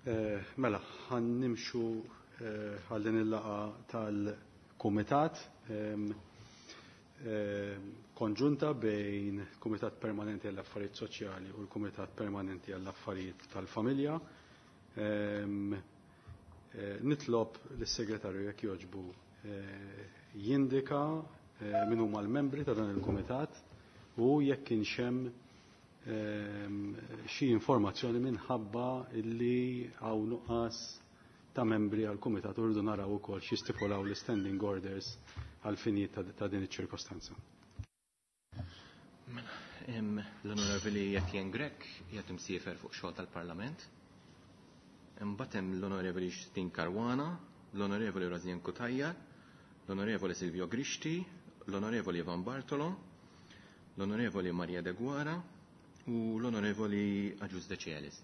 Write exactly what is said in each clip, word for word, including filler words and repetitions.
Eh, mela, ħa nimxu eh, għal din il-laqgħa tal-Kumitat ehm, ehm, konġunta bejn Kumitat Permanenti għall-Affarijiet Soċjali u l-Kumitat Permanenti għall-Affarijiet tal-Familja. Ehm, eh, nitlob lis-segretarju jekk jogħġbu jindika min huma l-membri ta' dan il-kumitat u jekk kienx hemm Ehm, xi informazzjoni minħabba illi hawn nuqqas ta' membri għal kumitat u rridu naraw ukoll xi stipulaw l-standing orders għal finijiet ta' din iċ-ċirkostanza. Mela, l-Onorevoli Etienne Grech qiegħed imsiefer fuq xogħol tal-Parlament. Imbagħad hemm l-Onorevoli Justyne Caruana, l-Onorevoli Rosianne Cutajar, l-Onorevoli Silvio Grixti, l-Onorevoli Ivan Bartolo, l-Onorevoli Maria Deguara u l-Onorevoli Agius Decelis.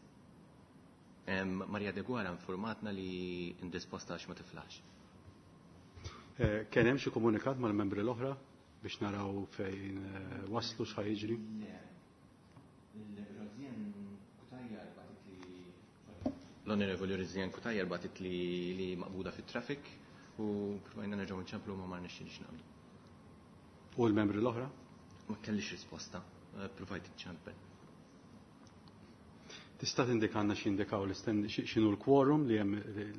Maria Deguara informatna li indisposta għax ma tiflax. Eh, kien hemm xi komunikat mal-membri l-oħra biex naraw fejn eh, waslu x'ħa jiġri? L-Onorevoli Rosianne Cutajar bagħtet li li maqbuda fit-traffic u provajna nerġgħu nċemplu ma ma rnexxilix naqbdu. U l-membri l-oħra? Ma kellix risposta, eh, provajt iċċempel. Tista' tindikanna x'indikaw x'inhu l-quorum li hemm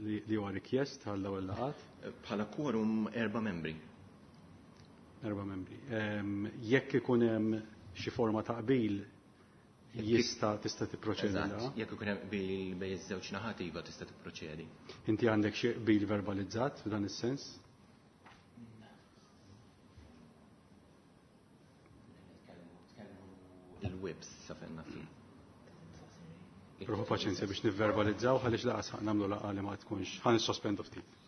li huwa rikjest għal dawn il-laqgħat? Bħala quorum erba' membri. Erba' membri. Jekk ikun hemm xi forma ta' qbil jista' tista' tipproċedi. Eżatt, jekk ikun hemm qbil bejn iż-żewġ naħat iva tista' tipproċedi. Inti għandek xi qbil verbalizzat f'dan is-sens? Il-whips sa fejn naf. Ruħu paċenzja biex nivverbalizzaw għaliex laqas nagħmlu laqgħa li ma tkunx ħa nissospendu ftit.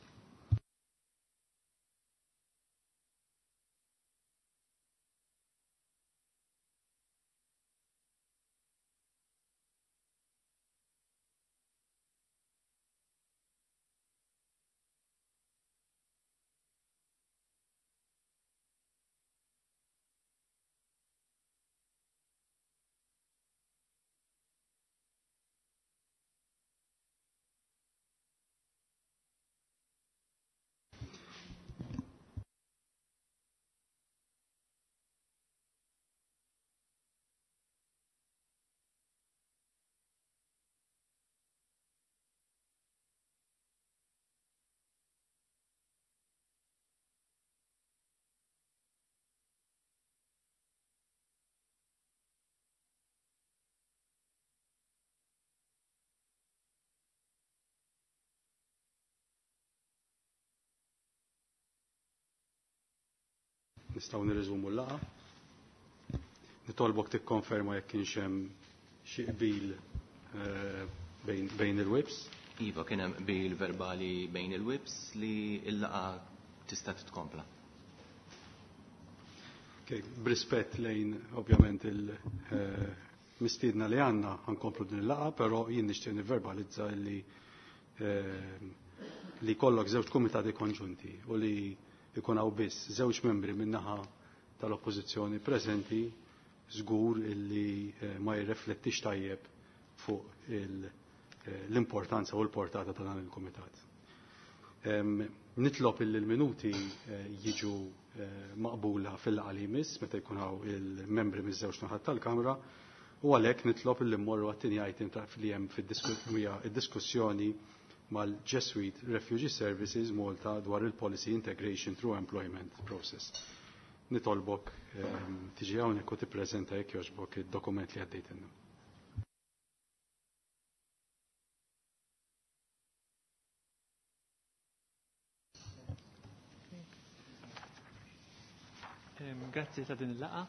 Nistgħu nirriżumu l-laqgħa. Nitolbok tikkonferma jekk kienx hemm xi qbil eh, bejn, bejn il-whips. Iva, kien hemm qbil verbali bejn il-whips li l-laqgħa tista' titkompla. Okay, b'rispett lejn ovvjament il-mistiedna li għandna ħa nkomplu din il-laqgħa, però jien nixtieq nivverbalizza li eh, li kollok żewġ kumitati konġunti u li ikun hawn biss żewġ membri min-naħa tal-oppożizzjoni preżenti żgur illi eh, ma jirreflettix tajjeb fuq eh, l-importanza u l-portata ta' dan il-kumitat. Nitlob illi l-minuti eh, jiġu maqbula fil-laqgħa li jmiss meta jkun hawn il-membri miż-żewġ naħat tal-Kamra u għalhekk nitlob illi mmorru għat-tieni item ta' li hemm fid-diskussjoni mal-Jesuit Refugee Services Malta dwar il-Policy Integration Through Employment Process. Nitolbok ehm, tiġi hawnhekk u tippreżenta jekk jogħġbok id-dokument li għaddejtilna. Grazzi ta' din il-laqgħa.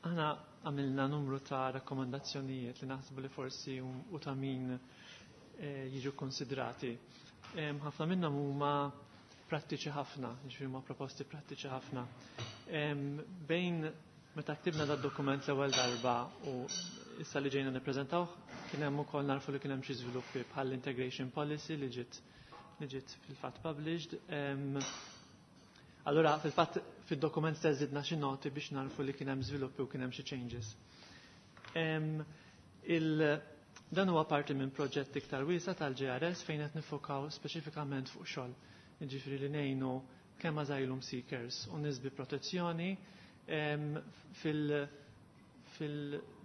Aħna għamilna numru ta' rakkomandazzjonijiet li naħsbu li forsi u ta' min eh, jiġu konsidrati. Ħafna minnhom huma prattiċi ħafna, jiġifieri huma proposti prattiċi ħafna. Bejn meta ktibna da' dokument l-ewwel darba u issa li ġejna nippreżentawh, kien hemm ukoll narfu li kien hemm xi żviluppi bħal integration policy li ġiet li ġiet fil-fatt published. Allora, fil-fatt, fil-dokument stess żidna xi noti biex narfu li kien hemm żviluppi u kien hemm xi changes. Dan huwa parti minn proġett iktar wiesa' tal-J R S fejn qed nifokaw speċifikament fuq xogħol. Jiġifieri li ngħinu kemm asylum seekers u nies bi protezzjoni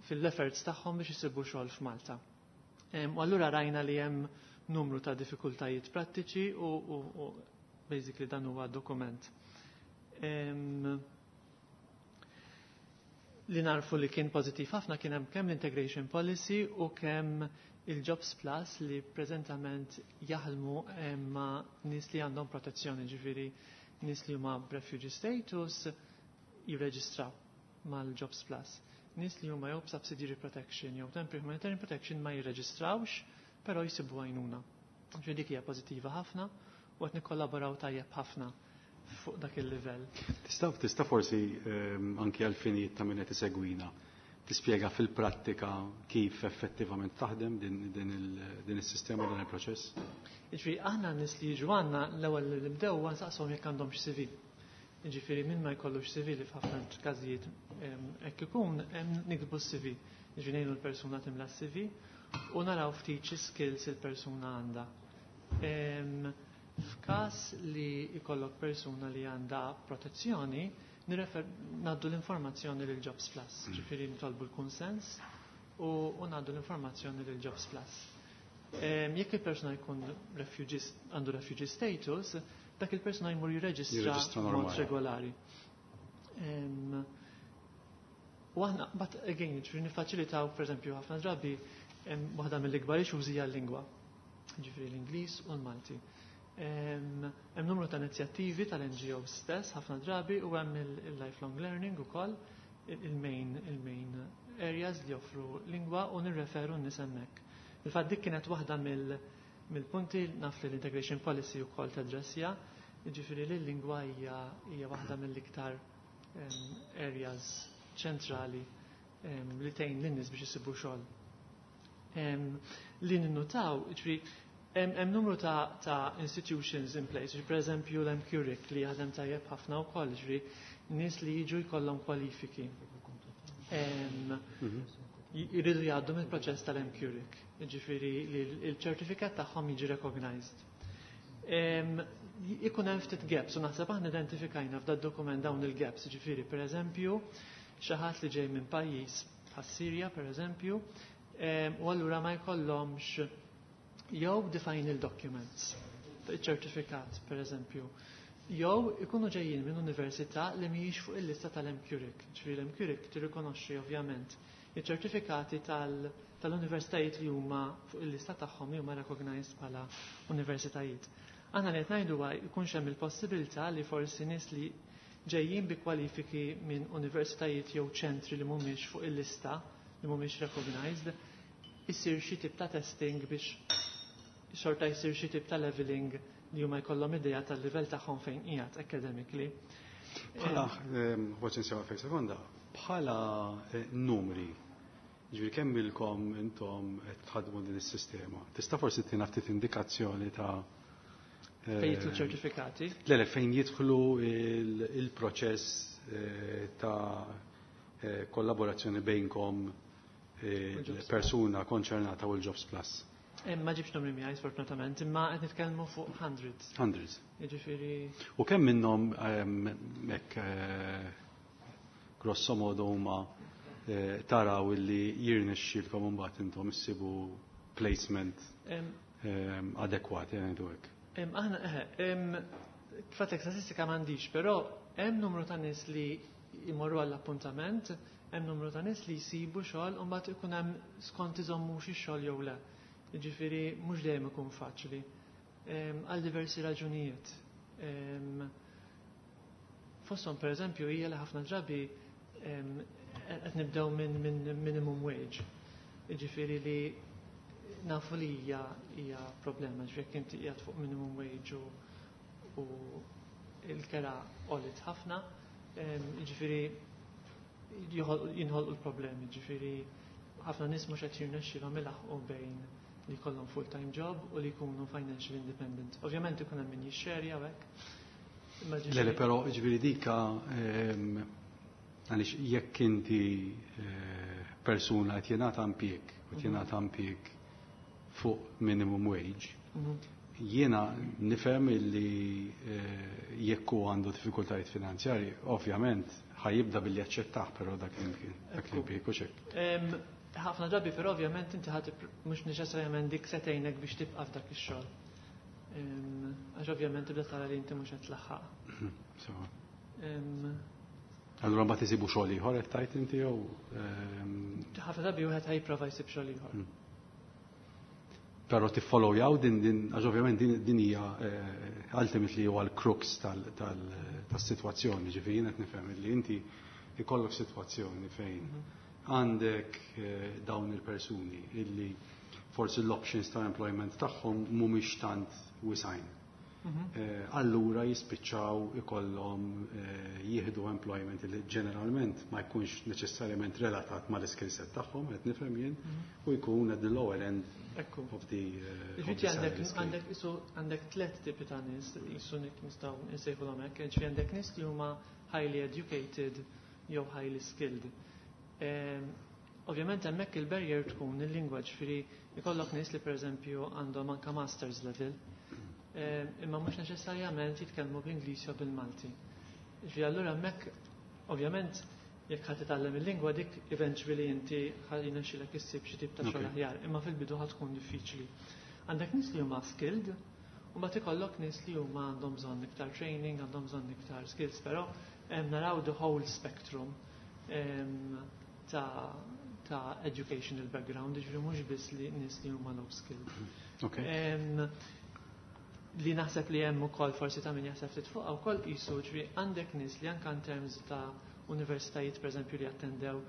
fil-efforts tagħhom biex isibu xogħol f'Malta. U allura rajna li hemm numru ta' diffikultajiet prattiċi u, u, u basically dan huwa dokument. Um, li narfu li kien pozitiv ħafna kien hemm kemm l-integration policy u kemm il-Jobs Plus li preżentament jaħdmu ma' nies li għandhom protezzjoni, ġifieri nies li huma refugee status jirreġistraw mal-Jobs Plus. Nies li huma jew subsidiary protection jew temporary humanitarian protection ma jirreġistrawx, però jsibu għajnuna. Ġifieri dik hija pożittiva ħafna u qed nikkollaboraw tajjeb ħafna fuq dak il-livell. Tista' tista' forsi ehm, anki għal-finijiet ta' min qed isegwina tispjega fil-prattika kif effettivament taħdem din, din, din is-sistema, dan il-proċess? Ġifieri aħna nies li jiġu għandna, l-ewwel li nibdew nsaqshom jekk għandhomx C V. Ġifieri min ma jkollux C V, li f'ħafna każijiet ehm, hekk ikun, niktbu C V. Ġifieri ngħinu l-persuna timla C V u naraw ftit xi skills il-persuna għandha. Ehm, F'każ li jkollok persuna li għandha protezzjoni, nirrefer ngħaddu l-informazzjoni lil Jobs Plus, mm. ġifieri nitolbu l-kunsens u ngħaddu l-informazzjoni lil Jobs Plus. Jekk il-persuna jkun għandu refugee status, dak il-persuna jmur jirreġistra mod regolari. U aħna, but again, ġifieri nifaċilitaw, per eżempju, ħafna drabi, waħda mill-ikbar issues hija l-lingwa. Ġifieri l-Ingliż u l-Malti. Hemm numru ta' inizjattivi tal-N G O stess ħafna drabi u hemm il-lifelong learning ukoll, il-main il-main areas li joffru lingwa, u nirreferu n-nies hemmhekk. Il-fatt dik kienet waħda mill-punti, naf li l-integration policy wkoll tadressja, jiġifieri li l-lingwa hija hija waħda mill-iktar areas ċentrali li tgħin lin-nies biex isibu xogħol. Li ninnutaw, ġifieri hemm numru ta', ta institutions in place, per eżempju l-M Q R I C li jaħdem tajjeb ħafna wkoll, ġifieri nies li jiġu jkollhom kwalifiki. Mhm. Jridu jgħaddu mill-proċess tal-M Q R I C, ġifieri li l-ċertifikat tagħhom jiġi recognized. Ikun hemm ftit gaps u naħseb aħna identifikajna f'dad dokument dawn il-gaps, ġifieri per eżempju xi ħadd li ġej minn pajjiż bħas-Sirja, per eżempju, u allura ma jkollhomx jew the final documents, ċertifikat per eżempju, jew ikunu ġejjin minn università li mhijiex fuq il-lista tal-M Q R I C. Ġifieri l-M Q R I C tirrikonoxxi ovvjament iċ-ċertifikati tal-universitajiet li huma fuq il-lista tagħhom, li huma recognized bħala universitajiet. Aħna li qed ngħidu jkunx hemm il-possibilità li forsi nies li ġejjin bi kwalifiki minn universitajiet jew ċentri li mhumiex fuq il-lista, li mhumiex recognized, isir xi tip ta' testing biex xorta jsir xi tip ta' leveling li huma jkollhom idea tal-livell tagħhom fejn qiegħed academically. Bħala, forsi nsewa fejn sekonda, bħala eh, numri, ġifieri kemm ilkom intom qed tħaddmu din is-sistema? Tista' forsi tina ftit indikazzjoni ta' eh, fejn jidħlu ċertifikati? Le, le, fejn jidħlu il-proċess eh, ta' kollaborazzjoni bejnkom, il-persuna konċernata u l-Jobs Plus. Ma ġibx numri miegħi sfortunatament, imma qed nitkellmu fuq hundreds. Hundreds. Jiġifieri. U kemm minnhom hekk eh, grosso modo huma eh, taraw illi jirnexxielkom imbagħad intom issibu placement adekwat, ngħidu hekk? Aħna eħe, fatek statistika m'għandix, però hemm numru ta' nies li jmorru għall-appuntament, hemm numru ta' nies li jsibu xogħol u mbagħad ikun hemm skont iżommux ix-xogħol jew le. Ġifieri mhux dejjem ikun faċli. Għal diversi raġunijiet. Fosthom, per eżempju, hija li ħafna drabi qed nibdew minn min minimum wage. Ġifieri li nafu li hija hija problema, ġifieri jekk inti qiegħed fuq minimum wage u, u il-kera għoliet ħafna, ġifieri jinħolqu l-problemi, ġifieri ħafna nies mhux qed jirnexxilhom ilaħqu bejn li jkollhom full-time job u li jkunu financially independent. Ovvjament ikun hemm min jixxerja hekk. Le, le, però ġifieri dika ehm, Għaliex jekk inti eh, persuna qed jingħata impjieg, qed jingħata impjieg fuq minimum wage, Mhm. jiena nifhem illi eh, jekk hu għandu diffikultajiet finanzjarji, ovvjament ħa jibda billi jaċċettah però dak l-impjieg, dak l-impjieg u xek. Em, Ħafna drabi però ovvjament inti ħadd mhux neċessarjament dik se tgħinek biex tibqa' f'dak ix-xogħol. Em, Għax ovvjament tibda tara li inti mhux qed tlaħħaq. So, Em, Allura mbagħad isibu xogħol ieħor qed tgħid inti jew ehm, Ħafna drabi wieħed ħa jipprova jsib xogħol ieħor. Però tiffollowjaw din din għax ovvjament din din hija eh, ultimately huwa l-crux tal- tal- tas-sitwazzjoni, ġifieri jien qed nifhem li inti ikollok sitwazzjoni fejn għandek eh, dawn il-persuni illi forsi l-options ta' employment tagħhom mhumiex tant wisgħin. Mhm. Eh, Allura jispiċċaw ikollhom eh, jieħdu employment li ġeneralment ma jkunx neċessarjament relatat mal-skill set tagħhom, qed nifhem jien, u jkun at the lower end Ekku. of the, uh, of Ġifieri the għandek salary scale. għandek isu għandek tliet tipi ta' nies isu nistgħu nsejħulhom hekk, ġifieri għandek nies li huma highly educated jew highly skilled. Em, Ovvjament hemmhekk il-barrier tkun il-lingwa, ġifieri ikollok nies li pereżempju għandhom anka masters level, em, imma mhux neċessarjament jitkellmu bl-Ingliż jew bil-Malti. Ġifieri allura hemmhekk ovvjament jekk ħadd titgħallem il-lingwa dik eventually inti ħa jirnexxilek issib xi tip ta' xogħol Okay. aħjar, imma fil-bidu ħa tkun diffiċli. Għandek nies li huma skilled, u mbagħad ikollok nies li huma għandhom bżonn iktar training, għandhom bżonn iktar skills, però em, naraw the whole spectrum em, ta' ta' educational background, ġifieri mhux biss li nies li huma low skilled. Okay. Em, li naħseb li hemm ukoll forsi ta' min jaħseb ftit fuqha wkoll qisu ġifieri għandek nies li anke in terms ta' universitajiet pereżempju li attendew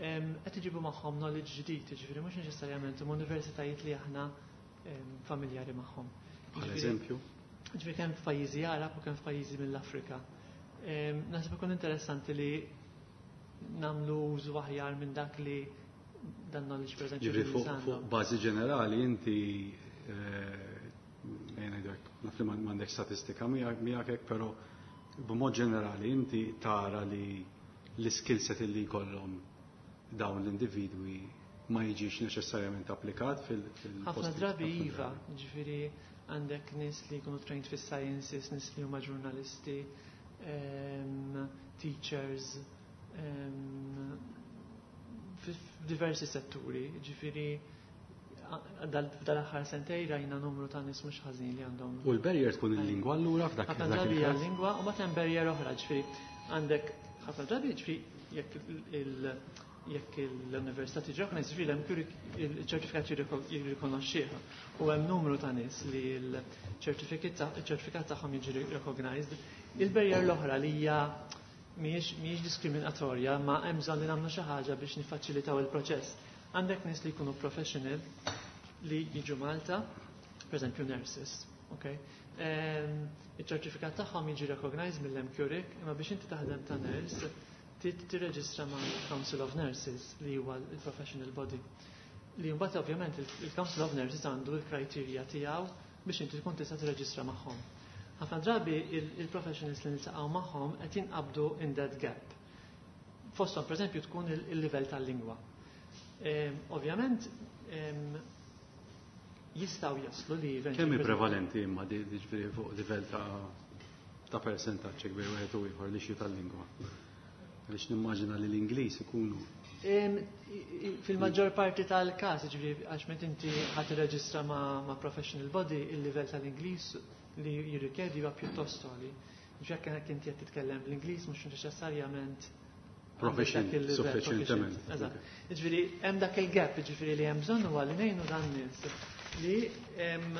em, qed iġibu magħhom knowledge ġdid, ġifieri mhux neċessarjament huma universitajiet li aħna em, familjari magħhom. Bħal Ġifieri- eżempju. Ġifieri kemm f'pajjiżi Arab u kemm f'pajjiżi mill-Afrika. Em, Naħseb ikun interessanti li nagħmlu użu aħjar minn dak li dan knowledge pereżempju Ġifieri li fuq għandhom. fuq bażi ġenerali inti eh, ejja ngħidu hekk, naf li m'għandek statistika miegħek miegħek hekk, però b'mod ġenerali inti tara li l-skill set li jkollhom dawn l-individwi ma jiġix neċessarjament applikat fil- fil Ħafna drabi iva, ġifieri għandek nies li jkunu trained fis sciences, nies li huma ġurnalisti, em, teachers, em, f'diversi setturi, ġifieri a- dal- dal-aħħar sentej rajna numru ta' nies mhux ħażin li għandhom. U l-barrier tkun il-lingwa allura f'dak Ħafna f'dak drabi hija il-każ? lingwa u mbagħad hemm barrier oħra, ġifieri għandek ħafna drabi ġifieri jekk il- jekk l-università tiġi recognized, ġifieri hemm il-ċertifikat jirrikonoxxih. U hemm numru ta' nies li l-ċertifikat tagħhom jiġi recognized. Il-barrier l-oħra li hija mhijiex mhijiex diskriminatorja, ma hemm bżonn li nagħmlu xi ħaġa biex niffaċilitaw il-proċess. Għandek nies li jkunu professional li jiġu Malta, per eżempju nurses, okay? Em, Il-ċertifikat tagħhom jiġi recognized mill-MQRIC, imma biex inti taħdem ta' nurse, trid tirreġistra ma' Council of Nurses li huwa il-professional body. Li mbagħad ovvjament il-Council of Nurses għandu l-criteria tiegħu biex inti tkun tista' tirreġistra magħhom. Ħafna drabi il-professionals li niltaqgħu magħhom qed jinqabdu in that gap. Fosthom pereżempju tkun il-livell tal-lingwa. Em, Ovvjament em, jistgħu jaslu li Kemm hi prevalenti imma di di ġifieri fuq livell ta' ta' percentaġġ kbir wieħed u ieħor li xi tal-lingwa? Għaliex nimmaġina li l-Ingliż ikunu Em, i- i- Fil-maġġor parti tal-każ, ġifieri għax meta inti ħadd tirreġistra ma', ma' professional body, il-livell tal-Ingliż li jirrikjedi huwa pjuttost għoli. Ġifieri jekk inti qed titkellem bl-Ingliż mhux neċessarjament Proficient, għandek dak il-livell suffiċjentement. proficient. Eżatt. Ġifieri hemm dak il-gap, ġifieri li hemm bżonn huwa li ngħinu dan nies li em,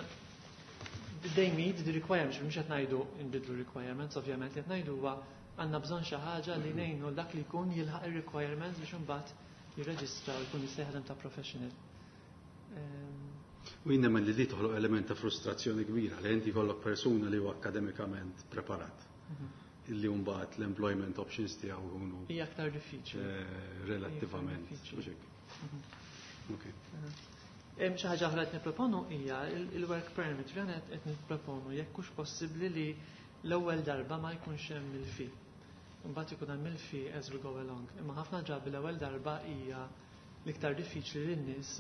they meet the requirements, mhux qed ngħidu nbidlu requirements, ovvjament li qed ngħidu huwa għandna bżonn xi ħaġa li ngħinu dak li jkun jilħaq ir-requirements biex imbagħad jirreġistra u jkun jista' jaħdem ta' professional. Em, U jien nemmen li di toħloq element ta' frustrazzjoni kbira li inti jkollok persuna li huwa akademikament preparat. Illi mbagħad l-employment options tiegħu jkunu Hija aktar diffiċli. eh, relattivament. Diffiċli. Mhux hekk. Ok. Hemm xi ħaġa oħra qed nipproponu hija il- il-work permit. Ġifieri qed qed nipproponu jekk hux possibbli li l-ewwel darba ma jkunx hemm il-fee. Mbagħad ikun hemm il-fee as we go along. Imma ħafna drabi l-ewwel darba hija l-iktar diffiċli li n-nies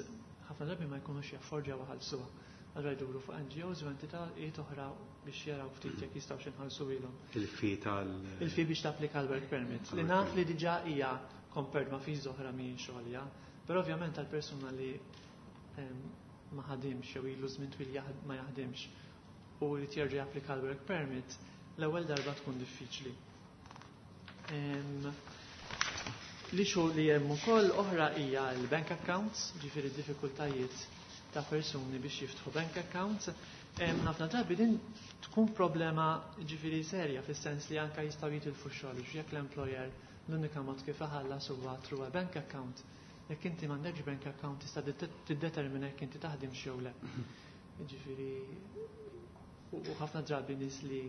ħafna drabi ma jkunux jaffordjaw iħallsuha. Allura jduru fuq N G Os u entitajiet oħra biex jaraw ftit jekk jistgħu iħallsu ilhom. Il-fee tal- Il-fee biex tapplika l-work permit. Li naf li diġà hija compared ma' fees oħra mhijiex għolja, però ovvjament għal persuna li em, ma ħadimx jew ilu żmien twil jaħd- ma jaħdimx u li jerġa' japplika l-work permit, l-ewwel darba tkun diffiċli. Em, L-issue li hemm ukoll oħra hija l-bank accounts, ġifieri diffikultajiet ta' persuni biex jiftħu bank accounts. Em, Ħafna drabi din tkun problema, ġifieri, serja, fis-sens li anka jistgħu jitilfu x-xogħol jekk l-employer l-unika mod kif iħallas huwa through a bank account. Jekk inti m'għandekx bank account, tista' tiddetermina jekk inti taħdimx jew le. Ġifieri u u ħafna drabi nies li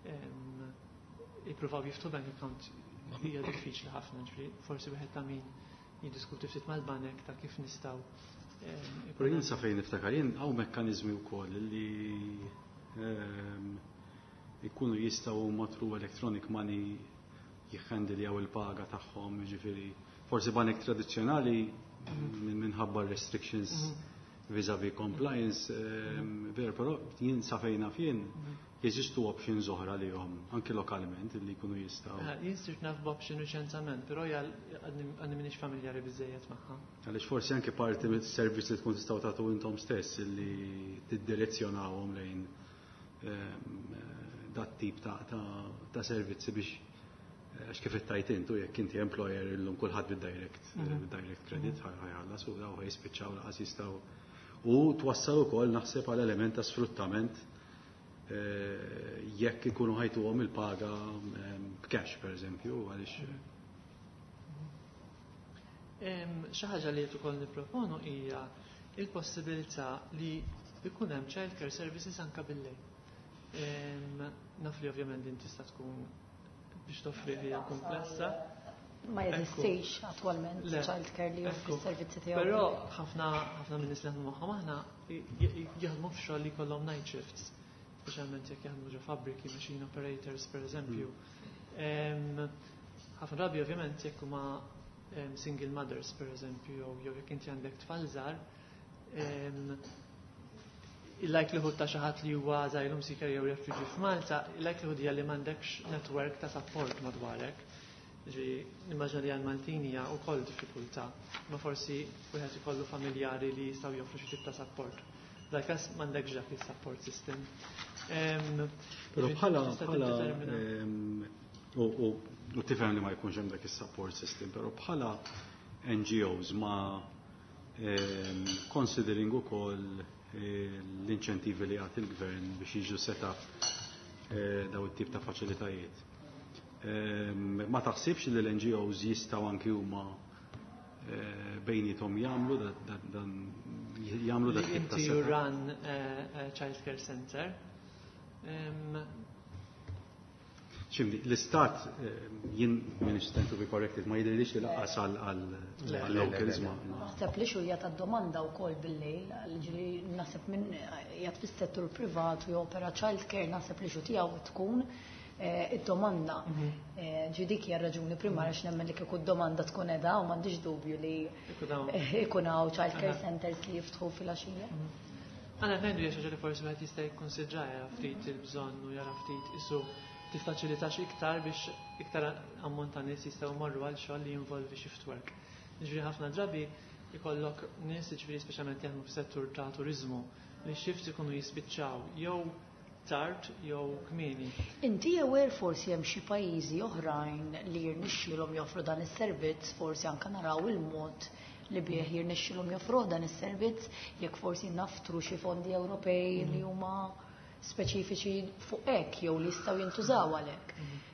em, jippruvaw jiftħu bank account hija diffiċli ħafna, ġifieri forsi wieħed ta' min jiddiskuti ftit mal-banek ta' kif nistgħu em, Pero jien sa fejn niftakar jien hawn mekkaniżmi wkoll li ehm, ikunu jistgħu huma through electronic money jihhandiljaw il-paga tagħhom, jiġifieri forsi banek tradizzjonali minn minħabba restrictions vis-a-vis compliance, ehm, ver, però jien sa fejn naf jien jeżistu options oħra li jom, anke lokalment, li jkunu jistgħu. Eh, Jien sirt naf b'option reċentament, però hija għadni m'iniex familjari biżejjed magħha. Għaliex forsi anke parti mis-servizz li tkun tistgħu tagħtu intom stess li tiddirezzjonawhom lejn ehm, dat tip ta', ta, ta' servizzi biex, għax kif ittajt intu, jekk inti employer illum kulħadd bid-direct Mhm. bid-direct credit ħajħallas u daw ħajispiċċaw lanqas jistgħu, u twassal ukoll naħseb għal element ta' sfruttament eh, jekk ikunu ħa jtuhom il-paga ehm, b'cash, per eżempju, għaliex Em, Xi ħaġa li qed ukoll nipproponu hija il-possibilità li jkun hemm child care services anka bil-lejl. Em, Naf li ovvjament din tista' tkun biex toffri hija komplessa. Ma jeżistix attualment Le. child care li joffri Ekku. s-servizzi tiegħu. Però ħafna ħafna minn nies li jaħdmu magħhom aħna j- jaħdmu f'xogħol li jkollhom night shifts, speċjalment jekk jaħdmu ġo fabbriki, machine operators, per eżempju. Em, Ħafna drabi ovvjament jekk huma em, single mothers, per eżempju, jew jew jekk inti għandek tfal żgħar, em, il-likelihood ta' xi ħadd li huwa asylum seeker jew refugee f'Malta, il-likelihood hija li m'għandekx network ta' support madwarek. Ġi, nimmaġina li għal-Maltin hija wkoll diffikultà, ma forsi wieħed ikollu familjari li jistgħu joffru xi tip ta' support. Dak każ m'għandekx dak il-support system. Em, Però ġifieri bħala tista' bħala tiddetermina. ehm, u u u tifhem li ma jkunx hemm dak is-support system, però bħala N G Os ma ehm, considering ukoll eh, l-inċentivi li jagħti il-gvern biex jiġu set up eh, daw it-tip ta' faċilitajiet. Ehm, Ma taħsibx li l-N G Os jistgħu anki huma eh, bejniethom jagħmlu da- da- dan jagħmlu Li dak tip ta' inti you setup? run a, a child care center. Em, Ximdi, l-istat, eh, jien m'iniex to be corrected, ma jidhirlix li lanqas Le. għal-locals ma. ma- Naħseb li xu ta' domanda wkoll bil-lejl, ġifieri naħseb min qiegħed fis-settur privat u jopera child care, naħseb li xu tiegħu tkun eh, id-domanda. Eh, Ġi dik hija raġuni primarja x'nemmen li kieku d-domanda tkun edha u m'għandix dubju li Ikun hawn. eh, ikun hawn child care Aha. centers li jiftħu fil-għaxija. Għana ngħidu hija xi ħaġa li forsi wieħed jista' jikkonsidra, jara ftit il-bżonn u jara ftit isu tiffaċilitax iktar biex iktar ammont ta' nies jistgħu jmorru għal xogħol li jinvolvi shift work. Ġifieri ħafna drabi ikollok nies, ġifieri speċjalment jaħdmu fis-settur ta' turiżmu, li shifts ikunu jispiċċaw jew tard jew kmieni. Inti aware forsi hemm xi pajjiżi oħrajn li jirnexxielhom joffru dan is-servizz, forsi anke naraw il-mod li bih jirnexxielhom joffru dan is-servizz, jekk forsi naftru xi fondi Ewropej li huma speċifiċi fuq hekk jew li jistgħu jintużaw għalhekk.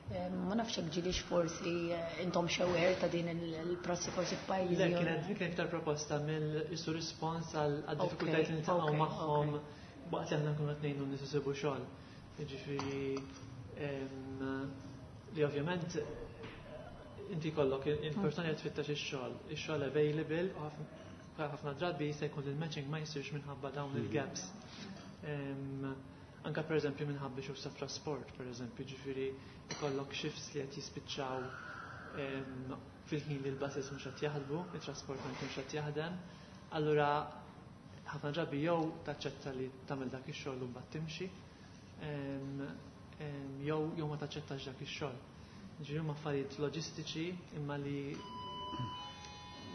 Eh, Ma nafx hekk ġilix forsi eh, intom aware ta' din il-prassi forsi f'pajjiżi. Le, oħra. kienet kienet iktar proposta mill-isu rispons għal diffikultajiet li niltaqgħu ok, magħhom ok. waqt li aħna nkunu qed ngħinu nies isibu xogħol. Jiġifieri em, li ovvjament inti jkollok il-persuna li tfittex ix-xogħol, ix-xogħol available u ħafna- ħafna drabi se jkun il-matching ma jsirx minħabba dawn il-gaps. Em, Anka pereżempju minħabba xi ta' trasport, pereżempju, ġifieri ikollok shifts li qed jispiċċaw fil-ħin li l-buses mhux qed jaħdmu, it-trasport ma jkunx qed jaħdem. Allura ħafna drabi jew taċċetta li tagħmel dak ix-xogħol u mbagħad timxi, jew jew ma taċċettax dak ix-xogħol. Ġifieri huma affarijiet loġistiċi imma li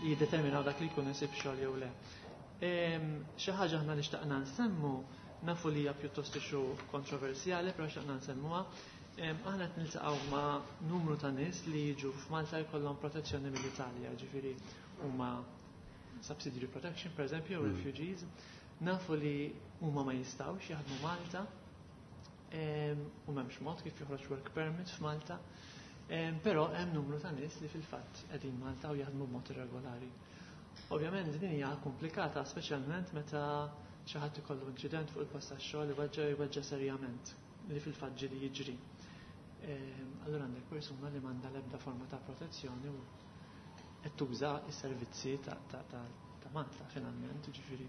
jiddeterminaw dak li jkun isib xogħol jew le. Xi ħaġa aħna li xtaqna nsemmu, nafu li hija pjuttost issue kontroversjali, però xtaqna nsemmuha. Aħna qed niltaqgħu ma' numru ta' nies li jiġu f'Malta jkollhom protezzjoni mill-Italja, ġifieri huma subsidiary protection, per eżempju, mm. refugees. Nafu li huma ma jistgħux jaħdmu Malta u m'hemmx mod kif joħroġ work permit f'Malta. Però hemm numru ta' nies li fil-fatt qegħdin Malta u jaħdmu b'mod irregolari. Ovvjament din hija komplikata, speċjalment meta xi ħadd ikollu inċident fuq il-post tax-xogħol, iweġġa' jweġġa' serjament, li fil-fatt ġieli jiġri. Allura għandek persuna li m'għandha l-ebda forma ta' protezzjoni u qed tuża s-servizzi ta' Malta finalment, ġifieri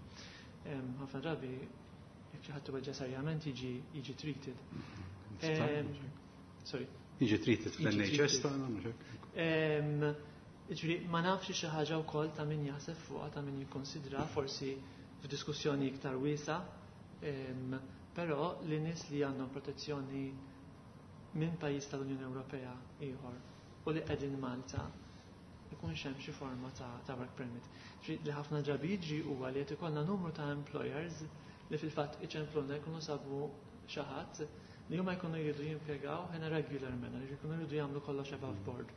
ħafna drabi jekk xi ħadd iweġġa' serjament jiġi jiġi treated. Sorry. Jiġi treated fl-N H S tagħna, mhux hekk? Ġifieri ma nafx, xi ħaġa wkoll ta' min jaħseb fuqha, ta' min jikkonsidra forsi f'diskussjoni iktar wiesa, però li nies li għandhom protezzjoni minn pajjiż tal-Unjoni Ewropea ieħor u li qegħdin Malta ikun hemm xi forma ta', ta work permit. Li ħafna drabi jiġri huwa li qed ikollna numru ta' employers li fil-fatt iċempluna, jkunu sabu xi ħadd li huma jkunu jridu jimpjegaw in a regular manner, jkunu jridu jagħmlu kollox above board.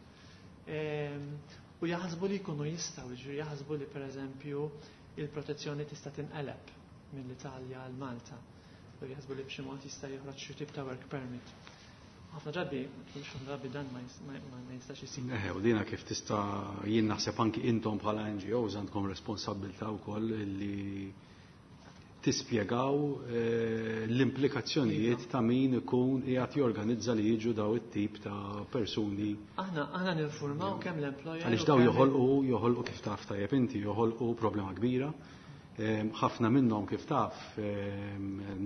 U jaħsbu li jkunu jistgħu, jiġri jaħsbu li pereżempju il-protezzjoni tista' tinqeleb mill-Italja għal Malta. U jaħsbu li b'xi mod jista' joħroġ xi tip ta' work permit. Ħafna drabi, ħafna drabi dan ma jistax isir. Eħe, u dina kif tista', jien naħseb anki intom bħala N G Os għandkom responsabbiltà wkoll li tispjegaw eh, l-implikazzjonijiet ta' min ikun qiegħed jorganizza li jiġu daw it-tip ta' persuni. Aħna aħna ninfurmaw kemm l-employer. Għaliex daw joħolqu joħolqu kif taf tajjeb inti, joħolqu problema kbira. Ħafna minnhom, kif taf,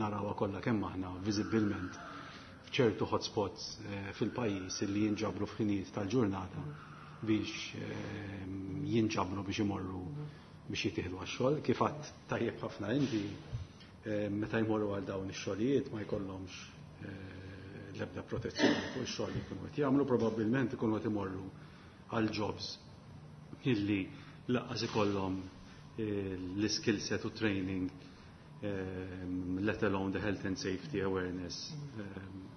narawha kollha kemm aħna viżibbilment f'ċertu hotspots eh, fil-pajjiż li jinġabru f'ħinijiet tal-ġurnata biex jinġabru biex imorru biex jittieħdu għax-xogħol. Kif għedt tajjeb ħafna inti, eh, meta jmorru għal dawn ix-xogħlijiet ma jkollhomx eh, l-ebda protezzjoni fuq ix-xogħol li jkunu qed jagħmlu, probabbilment ikunu qed imorru għal jobs illi lanqas ikollhom eh, l-skill set u training, let alone the health and safety awareness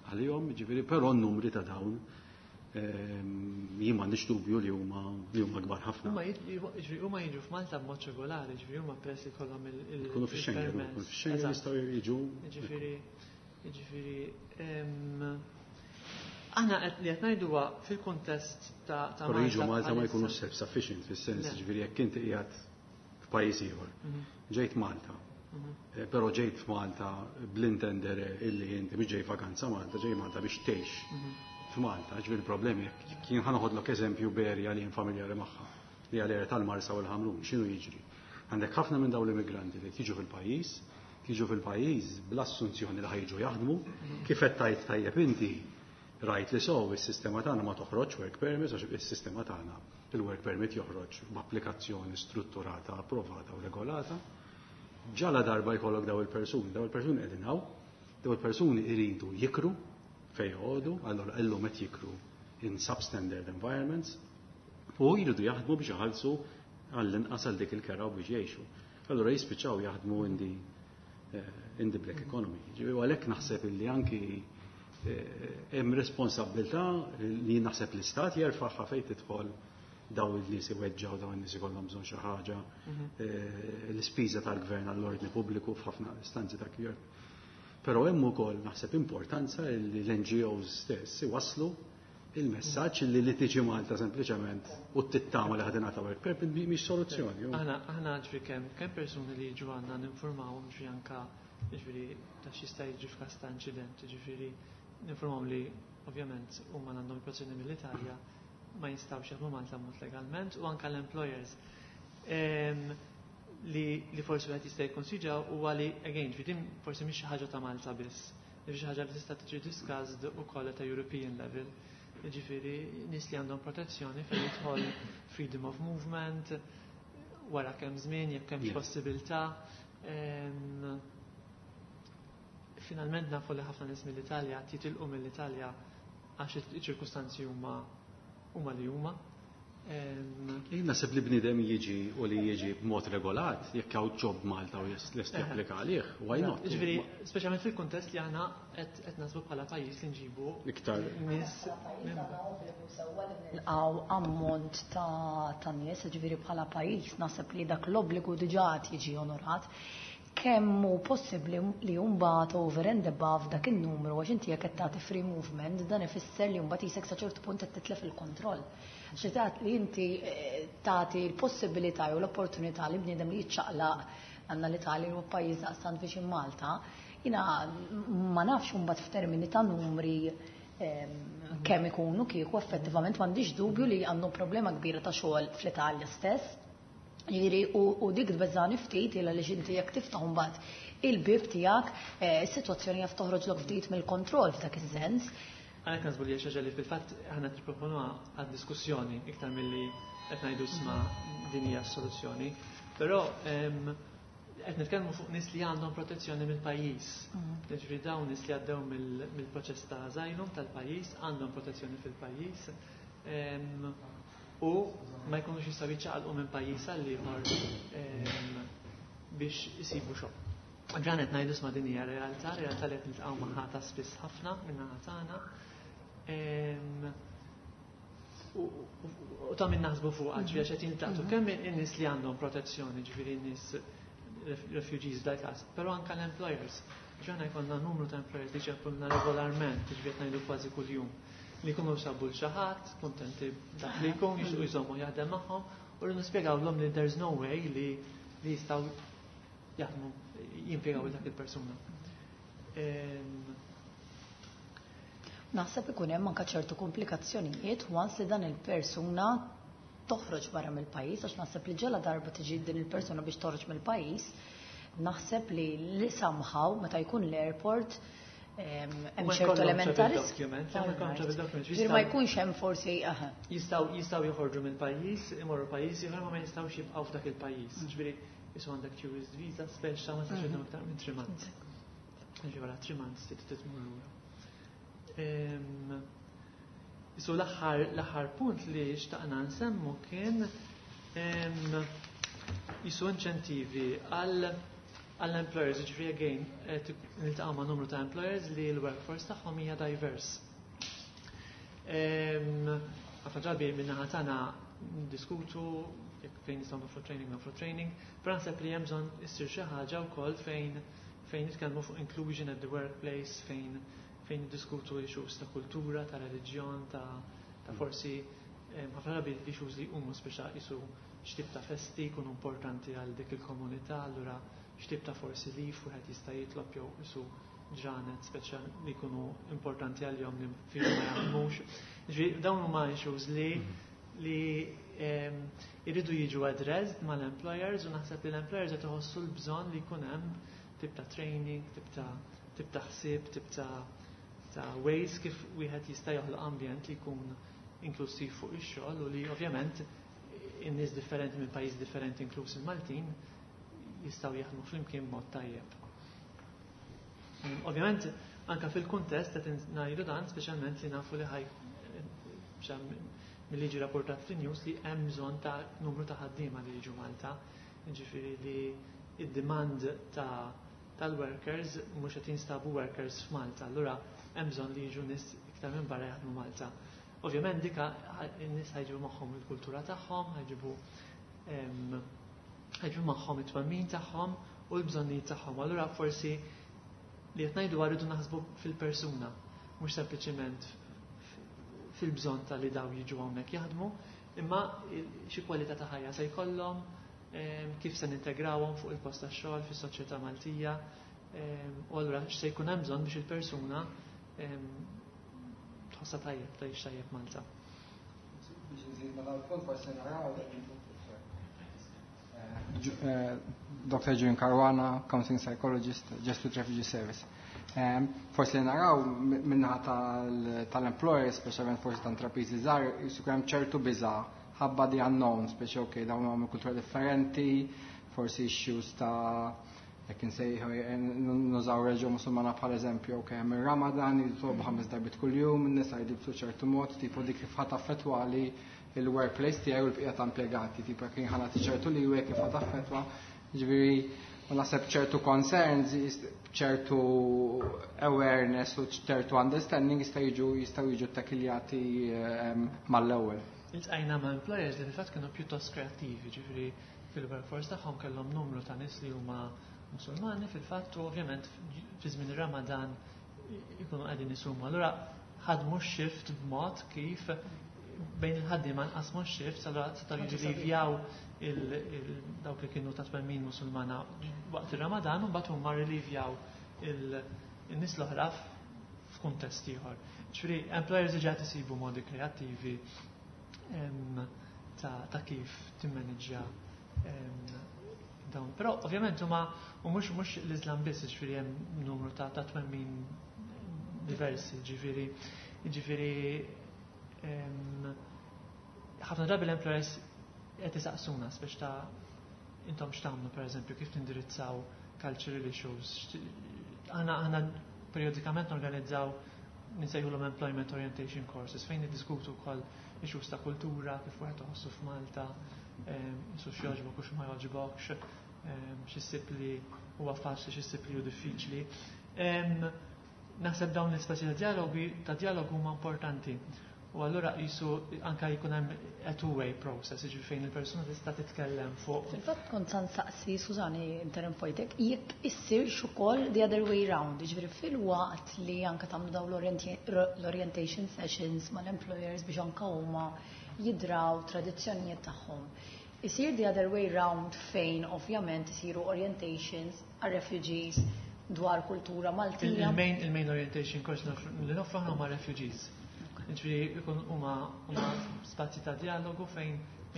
għalihom, ġifieri, però n-numri ta' dawn jien m'għandix dubju li huma li huma kbar ħafna. Huma jiġu f'Malta b'mod regolari, ġifieri huma peress li kollhom il Ikunu fix-Schengen, fix-Schengen jistgħu jiġu. Ġifieri, ġifieri aħna li qed ngħidu fil-kuntest ta' Però jiġu Malta ma jkunu self-sufficient fis-sens, ġifieri jekk inti qiegħed f'pajjiż ieħor. Mhm. Ġejt Malta. Mhm. Eh, però ġejt f'Malta bl-intendere illi inti mhux ġej vakanza Malta, ġej Malta biex tgħix mhm. f'Malta. Ġifieri problemi, kien ħa noħodlok eżempju b'area li jien familjari magħha, li għal tal-Marsa u l-Ħamrun, x'inhu jiġri? Għandek ħafna minn dawn l-immigranti li jiġu fil-pajjiż, jiġu fil-pajjiż bl-assunzjoni li ħa jiġu jaħdmu, kif qed tajt tajjeb inti, rajt li sow is-sistema tagħna ma toħroġ work permit, għax is-sistema tagħna il-work permit joħroġ b'applikazzjoni strutturata, approvata u regolata. Ġala darba jkollok daw il-persuni, daw il-persuni qegħdin hawn, daw il-persuni iridu jikru fej joqogħdu, allura illum qed jikru in substandard environments u jridu jaħdmu biex iħallsu għall-inqas għal dik il-kera u biex jgħixu. Allura jispiċċaw jaħdmu in the, eh, in the black economy. Ġifieri għalhekk naħseb illi anki eh, hemm responsabbiltà li naħseb l-istat jerfaħħa fejn tidħol daw il-nies iweġġaw, daw il-nies ikollhom bżonn xi ħaġa, mhm. eh, l-ispiża tal-gvern għall-ordni pubbliku f'ħafna istanzi ta' kjer. Però hemm ukoll naħseb importanza li l-N G Os stess iwasslu il-messaġġ li li tiġi Malta sempliċement u tittama li ħa tingħata work permit mhix soluzzjoni. Aħna aħna ġifieri kemm kemm persuni li jiġu għandna ninformawhom, ġifieri anka ġifieri ta' x'jista' jiġri f'każ ta' inċident, ġifieri ninformawhom li ovvjament huma għandhom protezzjoni mill-Italja, ma jistgħux jaħdmu Malta mod legalment, u anka l-employers. Li, li forsi wieħed jista' jikkonsidra huwa li again, ġifieri din forsi mhix xi ħaġa ta' Malta biss. Xi ħaġa li tista' tiġi discussed ukoll ta' European level. Ġifieri nies li għandhom protezzjoni fejn jidħol freedom of movement, wara kemm żmien, jekk hemmx possibilità. Finalment nafu li ħafna nies mill-Italja jitilqu mill-Italja għax iċ-ċirkustanzi huma huma li huma. Jien naħseb li bniedem jiġi u li jiġi b'mod regolat, jekk hawn job Malta u lest japplika għalih, why not? Ġifieri, speċjalment fil-kuntest li aħna qed naħsbu bħala pajjiż li nġibu iktar nies nilqgħu ammont ta' nies, ġifieri bħala pajjiż naħseb li dak l-obbligu diġà jiġi onorat. Kemm hu possibbli li mbagħad over and above dak in-numru, għax inti jekk qed tagħti free movement, dan ifisser li mbagħad isek sa ċertu punt qed titlef il-kontroll. Xi li inti tagħti l-possibilità jew l-opportunità li bniedem li jiċċaqlaq għandna l-Italja huwa pajjiż daqstant viċin Malta, jiena ma nafx imbagħad f'termini ta' numri kemm ikunu kieku effettivament m'għandix dubju li għandhom problema kbira ta' xogħol fl-Italja stess. Jiġifieri u dik tbeżżani ftit illa li inti jekk tiftaħ mbagħad il-bib tiegħek, is-sitwazzjoni jaf toħroġlok ftit mill-kontroll f'dak is-sens. Għalhekk naħsbu li xi ħaġa li fil-fatt aħna nipproponuha għad-diskussjoni iktar milli qed ngħidu isma' din hija s-soluzzjoni. Però qed nitkellmu fuq nies li għandhom protezzjoni mill-pajjiż. Jiġifieri dawn nies li għaddew mill-proċess ta' asylum tal-pajjiż għandhom protezzjoni fil-pajjiż u ma jkunux jistgħu jiċċaqalqu minn pajjiż għal ieħor biex isibu xogħol. Ġanet ngħidu isma' din hija realtà, realtà li qed niltaqgħu magħha ta' spiss ħafna min-naħa tagħna. U ta' min naħsbu fuqha, ġifieri għax qed jiltaqtu kemm in-nies li għandhom protezzjoni, ġifieri n-nies refugees dak każ, però anke l-employers. Ġana jkollna numru ta' employers li ċemplulna regolarment, ġifieri qed ngħidu kważi kuljum, li jkunu sabu l xi ħadd, kuntenti dak li jkun, jixtiequ jżommu jaħdem magħhom, u rridu nispjegawlhom li there's no way li li jistgħu jaħdmu jimpjegaw dak il-persuna. Naħseb ikun hemm anke ċertu komplikazzjonijiet once li dan il-persuna toħroġ barra mill-pajjiż, għax naħseb li ġela darba tiġi din il-persuna biex toħroġ mill-pajjiż, naħseb li li somehow meta jkun l-airport hemm ċertu element ta' risk. Ma jkunx hemm forsi aha. Jistgħu jistgħu joħorġu mill-pajjiż, imorru pajjiż ieħor ma ma jistgħux jibqgħu f'dak il-pajjiż. Ġifieri isu għandek tourist visa speċa ma tistax idum iktar minn three months. Ġifieri wara three months trid tmur lura. Isu l-aħħar l-aħħar punt li xtaqna nsemmu kien isu inċentivi għal għall-employers, ġifieri again, niltaqgħu ma' numru ta' employers li l-workforce tagħhom hija diverse. Ħafna drabi min-naħa tagħna ndiskutu jekk fejn nistgħu nofru training, nofru training, però naħseb li hemm bżonn issir xi ħaġa wkoll fejn fejn nitkellmu fuq inclusion at the workplace, fejn fejn niddiskutu issues ta' kultura, ta' reliġjon, ta' ta' forsi ħafna drabi issues li huma speċa isu x'tip ta' festi jkunu importanti għal dik il-komunità, allura x'tip ta' forsi leave wieħed jista' jitlob jew isu ġranet speċa li jkunu importanti għalihom li fihom ma jaħdmux. Ġifieri dawn huma issues li li iridu jiġu addressed mal-employers u naħseb li l-employers qed iħossu l-bżonn li jkun hemm tip ta' training, tip ta' tip ta' ħsieb, tip ta' ta' ways kif wieħed jista' joħloq ambjent li jkun inklusiv fuq ix-xogħol u li ovvjament in-nies differenti minn pajjiż differenti inkluż il-Maltin jistgħu jaħdmu flimkien b'mod tajjeb. Ovvjament anke fil-kuntest qed ngħidu dan speċjalment li nafu li ħaj mill-liġi rapportat fin-news li hemm bżonn ta' numru ta' ħaddiema li jiġu Malta, jiġifieri li id-demand ta' tal-workers mhux qed jinstabu workers f'Malta, allura hemm bżonn li jiġu nies iktar minn barra jaħdmu Malta. Ovvjament dika in-nies ħajġibu magħhom il-kultura tagħhom, ħajġibu ħajġibu magħhom it-twemmin tagħhom u l-bżonnijiet tagħhom. Allura forsi li qed ngħidu rridu naħsbu fil-persuna, mhux sempliċement fil-bżonn ta' li daw jiġu hawnhekk jaħdmu, imma xi kwalità ta' ħajja se jkollhom, kif se nintegrawhom fuq il-post tax-xogħol fis-soċjetà Maltija, u allura x'se jkun hemm bżonn biex il-persuna tħossha tajjeb, tgħix tajjeb Malta. Biex nżid ma' dal-punt forsi naraw Doctor Julian Caruana, Counseling Psychologist, Justice Refugee Service. Forsi li naraw min-naħa tal-employers, speċjalment forsi ta' intrapriżi żgħar, jkun hemm ċertu biża' ħabba the unknown, speċi ok, dawn huma kultura differenti, forsi issues ta' jekk insejħu nużaw reliġjon Musulmana bħal eżempju, ok, hemm ir-Ramadan jitolbu ħames darbiet kuljum, in-nisa jilbsu ċertu mod, tipo dik kif ħa taffettwali il-workplace tiegħi u l-bqija ta' impjegati, tipo jekk ħa nagħti ċertu li kif ħa taffettwa, ġifieri u naħseb ċertu concerns, ċertu awareness u ċertu understanding jista' jiġu jistgħu jiġu takiljati mal-ewwel. Iltqajna ma' employers li fil-fatt kienu pjuttost kreattivi, ġifieri fil-workforce tagħhom kellhom numru ta' nies li huma Musulmani fil-fatt u ovvjament fi żmien ir-Ramadan ikunu qegħdin isumu. Allura ħadmu shift b'mod kif bejn il-ħaddiema nqasmu shift, allura setgħu jirrelivjaw dawk li kienu ta' twemmin Musulmana waqt ir-Ramadan u mbagħad huma rilivjaw il-nies l-oħra f'kuntest ieħor. Ġifieri employers diġà isibu modi kreattivi ta' kif timmanġja dawn. Però ovvjament huma u mhux mhux l-Islam biss, ġifieri hemm numru ta' ta' twemmin diversi, ġifieri ġifieri ħafna drabi l-employers qed isaqsuna speċ ta' intom x'tagħmlu, pereżempju, kif tindirizzaw cultural issues. Aħna aħna periodikament norganizzaw nsejħulhom employment orientation courses fejn niddiskutu wkoll issues ta' kultura, kif wieħed iħossu f'Malta, su x'jogħġbok u x'ma jogħġbokx, x'issib li huwa faċli, x'issib li hu diffiċli. Naħseb dawn l-ispaċi ta' dialogi ta' dialogu huma importanti. U allura jisu anka jkun hemm a two-way process, jiġifieri fejn il-persuna tista' titkellem fuq. Fil-fatt kont se nsaqsi, Sużani, interrompejtek, jekk issirx ukoll the other way round, jiġifieri fil-waqt li anka tagħmlu dawn l-orientation sessions mal-employers biex anka huma jidraw tradizzjonijiet tagħhom. Isir the other way round fejn ovvjament isiru orientations għal refugees dwar kultura Maltija. Il-main il-main orientation course li noffru huma refugees. Ġifieri ikun huma huma spazji ta' dialogu fejn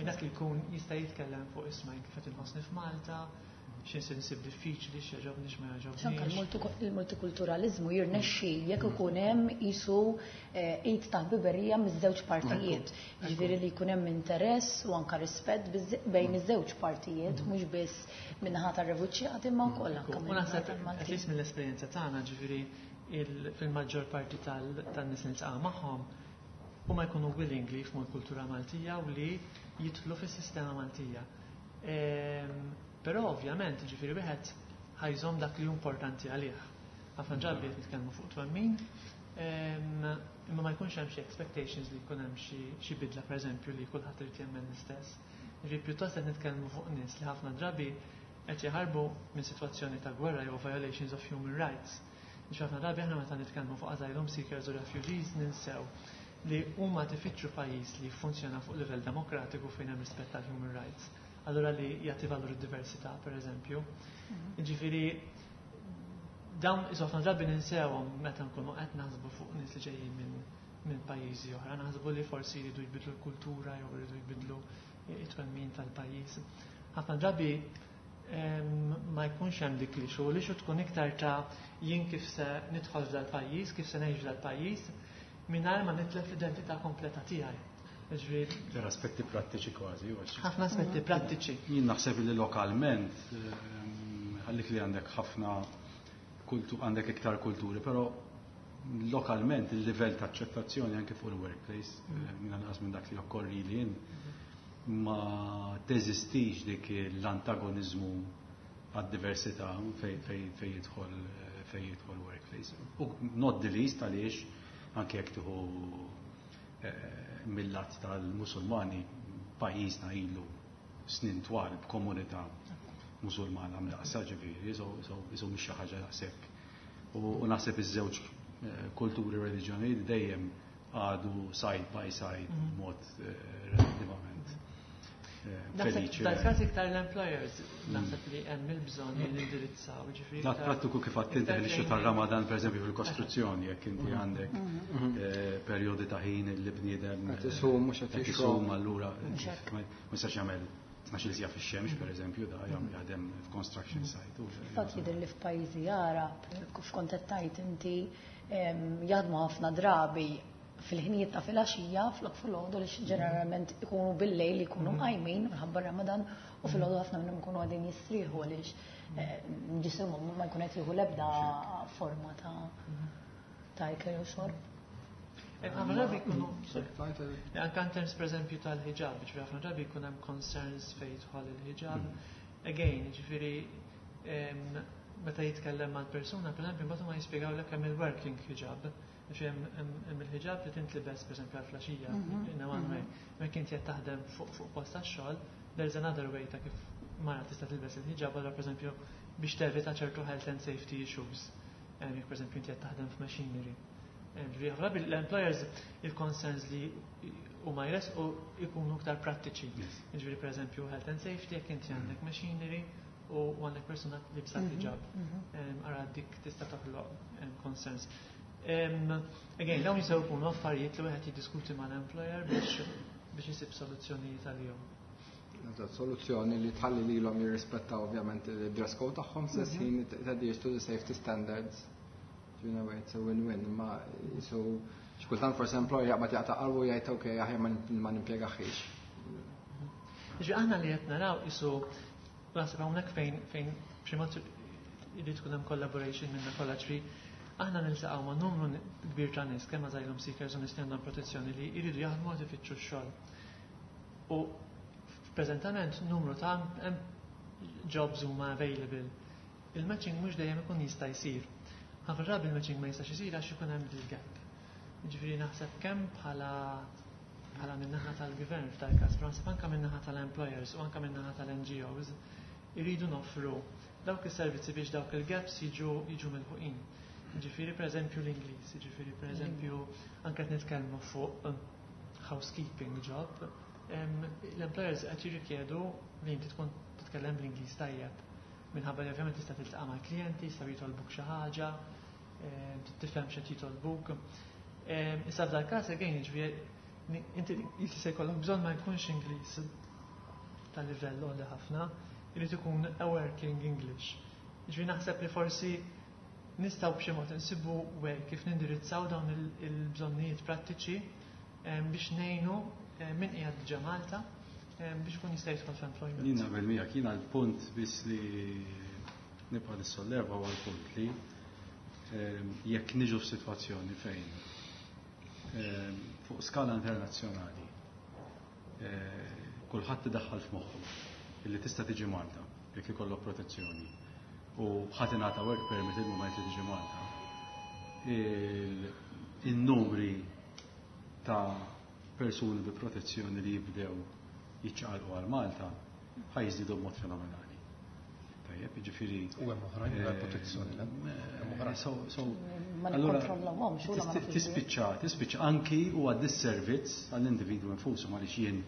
dak li jkun jista' jitkellem fuq isma' kif qed inħossni f'Malta, x'insi nsib diffiċli, x'jogħġobni, x'ma X'anka il-multikulturalizmu jirnexxi jekk ikun hemm isu id ta' ħbiberija miż-żewġ partijiet. Ġifieri li jkun hemm interess u anka rispett bejn iż-żewġ partijiet, mhux biss min-naħa tar-refuġjati imma wkoll anke U naħseb at least mill-esperjenza tagħna, ġifieri fil-maġġor parti tan-nies li niltaqa' magħhom huma jkunu willing li jifhmu l-kultura Maltija u li jidħlu fis-sistema Maltija. Però ovvjament, ġifieri wieħed ħa jżomm dak li hu importanti għalih. Ħafna drabi qed nitkellmu fuq twemmin, imma ma jkunx hemm xi expectations li jkun hemm xi bidla, pereżempju, li kulħadd irid jemmen l-istess. Ġifieri pjuttost qed nitkellmu fuq nies li ħafna drabi qed jaħarbu minn sitwazzjoni ta' gwerra jew violations of human rights. Ġifieri ħafna drabi aħna meta nitkellmu fuq asylum seekers u refugees ninsew li huma tifittxu pajjiż li jiffunzjona fuq livell demokratiku fejn hemm rispett tal-human rights. Allura li jagħti valur id-diversità, pereżempju. Ġifieri dawn ħafna drabi ninsewhom meta nkunu qed naħsbu fuq nies li ġejjin minn minn pajjiżi oħra, naħsbu li forsi jridu jbidlu l-kultura jew jridu jbidlu it-twemmin tal-pajjiż. Ħafna drabi ma jkunx hemm dik li xogħol li tkun iktar ta' jien kif se nidħol f'dal-pajjiż, kif se ngħix f'dal-pajjiż, mingħajr ma nitlef l-identità kompleta tiegħi. Ġifieri Per aspetti prattiċi kważi. Ħafna aspetti prattiċi. Jien naħseb li lokalment għallik li għandek ħafna għandek iktar kulturi, però lokalment il-livell ta' aċċettazzjoni anke fuq il-workplace, minn anqas minn dak li okkorri li jien, ma teżistix dik l-antagonizmu għad-diversità fej jidħol fej jidħol workplace. U not the least għaliex anke jekk tieħu mill-lat tal-Musulmani, pajjiżna ilu snin twal b'komunità Musulmana mdaqsa, ġifieri, so mhix xi ħaġa daqshekk. U naħseb iż-żewġ kulturi, reliġjonijiet dejjem għadu side by side mod relattivament feliċi. Dal-każ iktar l-employers naħseb li hemm il-bżonn li nindirizzaw, ġifieri. Dak prattiku kif għedt inti fil tar-Ramadan, pereżempju, fil-kostruzzjoni, jekk inti għandek perjodi ta' ħin li bniedem qed isum mhux qed isum, allura ma jistax jagħmel tnax-il siegħa fix-xemx, pereżempju, da jaħdem f'construction site. Fatt jidher li f'pajjiżi Għarab, kif kont qed tgħid inti, jaħdmu ħafna drabi fil-ħinijiet ta' filgħaxija flok filgħodu li ġeneralment ikunu bil-lejl ikunu qajmin minħabba Ramadan u filgħodu ħafna minnhom ikunu għadin jistrieħu għaliex ġisimhom ma jkun qed jieħu l-ebda forma ta' ta' ikel jew xorb. Ħafna drabi jkunu, anke in terms pereżempju tal-ħiġab, ġifieri ħafna drabi jkun hemm concerns fejn jidħol il-ħiġab. Again, ġifieri meta jitkellem mal-persuna, pereżempju, mbagħad huma jispjegawlek hemm il-working hijab. Ġifieri hemm il-ħiġab li tintlibes pereżempju għal filgħaxija in a one way. Meta inti qed taħdem fuq fuq post tax-xogħol, there's another way ta' kif mara tista' tilbes il-ħiġab, allura pereżempju biex tevita ċertu health and safety issues. Jekk pereżempju inti qed taħdem f'machinery. Ġifieri ħafna l-employers il-concerns li huma jresqu ikunu iktar prattiċi. Ġifieri pereżempju health and safety, jekk inti għandek machinery u għandek persuna li libsa hijab. Ara dik tista' toħloq concerns. Again, dawn jistgħu jkunu affarijiet li wieħed jiddiskuti mal-employer biex biex isib soluzzjonijiet għalihom. Soluzzjoni li tħalli lilhom jirrispettaw ovvjament il-dress code tagħhom stess ħin adheres to the safety standards. You know, it's a win-win. Ma so xkultant forsi employer jaqbad jaqta' qalbu, jgħid ok, aħjar ma nimpjegaħiex. Ġifieri aħna li qed naraw isu naħseb hawnhekk fejn fejn b'xi mod irid tkun hemm collaboration minna kollha, ġifieri aħna niltaqgħu ma' numru kbir ta' nies, kemm asylum seekers u nies li għandhom protezzjoni li jridu jaħdmu għad ifittxu x-xogħol. U preżentament numru ta' jobs huma available. Il-matching mhux dejjem ikun jista' jsir. Ħafna drabi il-matching ma jistax isir għax ikun hemm il-gap. Ġifieri naħseb kemm bħala bħala min-naħa tal-gvern f'dal każ, però naħseb anke min-naħa tal-employers u anke min-naħa tal-N G Os iridu noffru dawk is-servizzi biex dawk il-gaps jiġu jiġu milħuqin. Ġifieri pereżempju l-Ingliż, ġifieri pereżempju anke qed nitkellmu fuq housekeeping job, l-employers qed jirrikjedu li inti tkun titkellem bl-Ingliż tajjeb. Minħabba li ovvjament tista' tiltaqa' mal-klijenti, jistgħu jitolbuk xi ħaġa, tifhem x'qed jitolbuk. Issa f'dal każ again, ġifieri inti li se jkollok bżonn ma jkunx Ingliż ta' livell għoli ħafna, irid ikun a working English. Ġifieri naħseb li forsi nistgħu b'xi mod insibu way kif nindirizzaw dawn il-bżonnijiet prattiċi biex ngħinu min qiegħed diġà Malta biex ikun jista' jidħol f'employment. Jien naqbel miegħek, jiena l-punt biss li nibqa' nissolleva huwa l-punt li jekk niġu f'sitwazzjoni fejn fuq skala internazzjonali kulħadd idaħħal f'moħħu illi tista' tiġi Malta jekk ikollok protezzjoni u ħadd ingħata work permit il-mument li tiġi Malta, il-numri ta' persuni bi protezzjoni li jibdew jiċċaqalqu għal Malta ħa jiżdiedu b'mod fenomenali. Tajjeb, jiġifieri. U hemm oħrajn mingħajr protezzjoni, le? Hemm oħrajn. So, so, Ma allura, nikkontrollawhomx, u la ma nafux. Tispiċċa, tispiċċa anki u għad disservizz għall-individwu nfusu, għaliex jien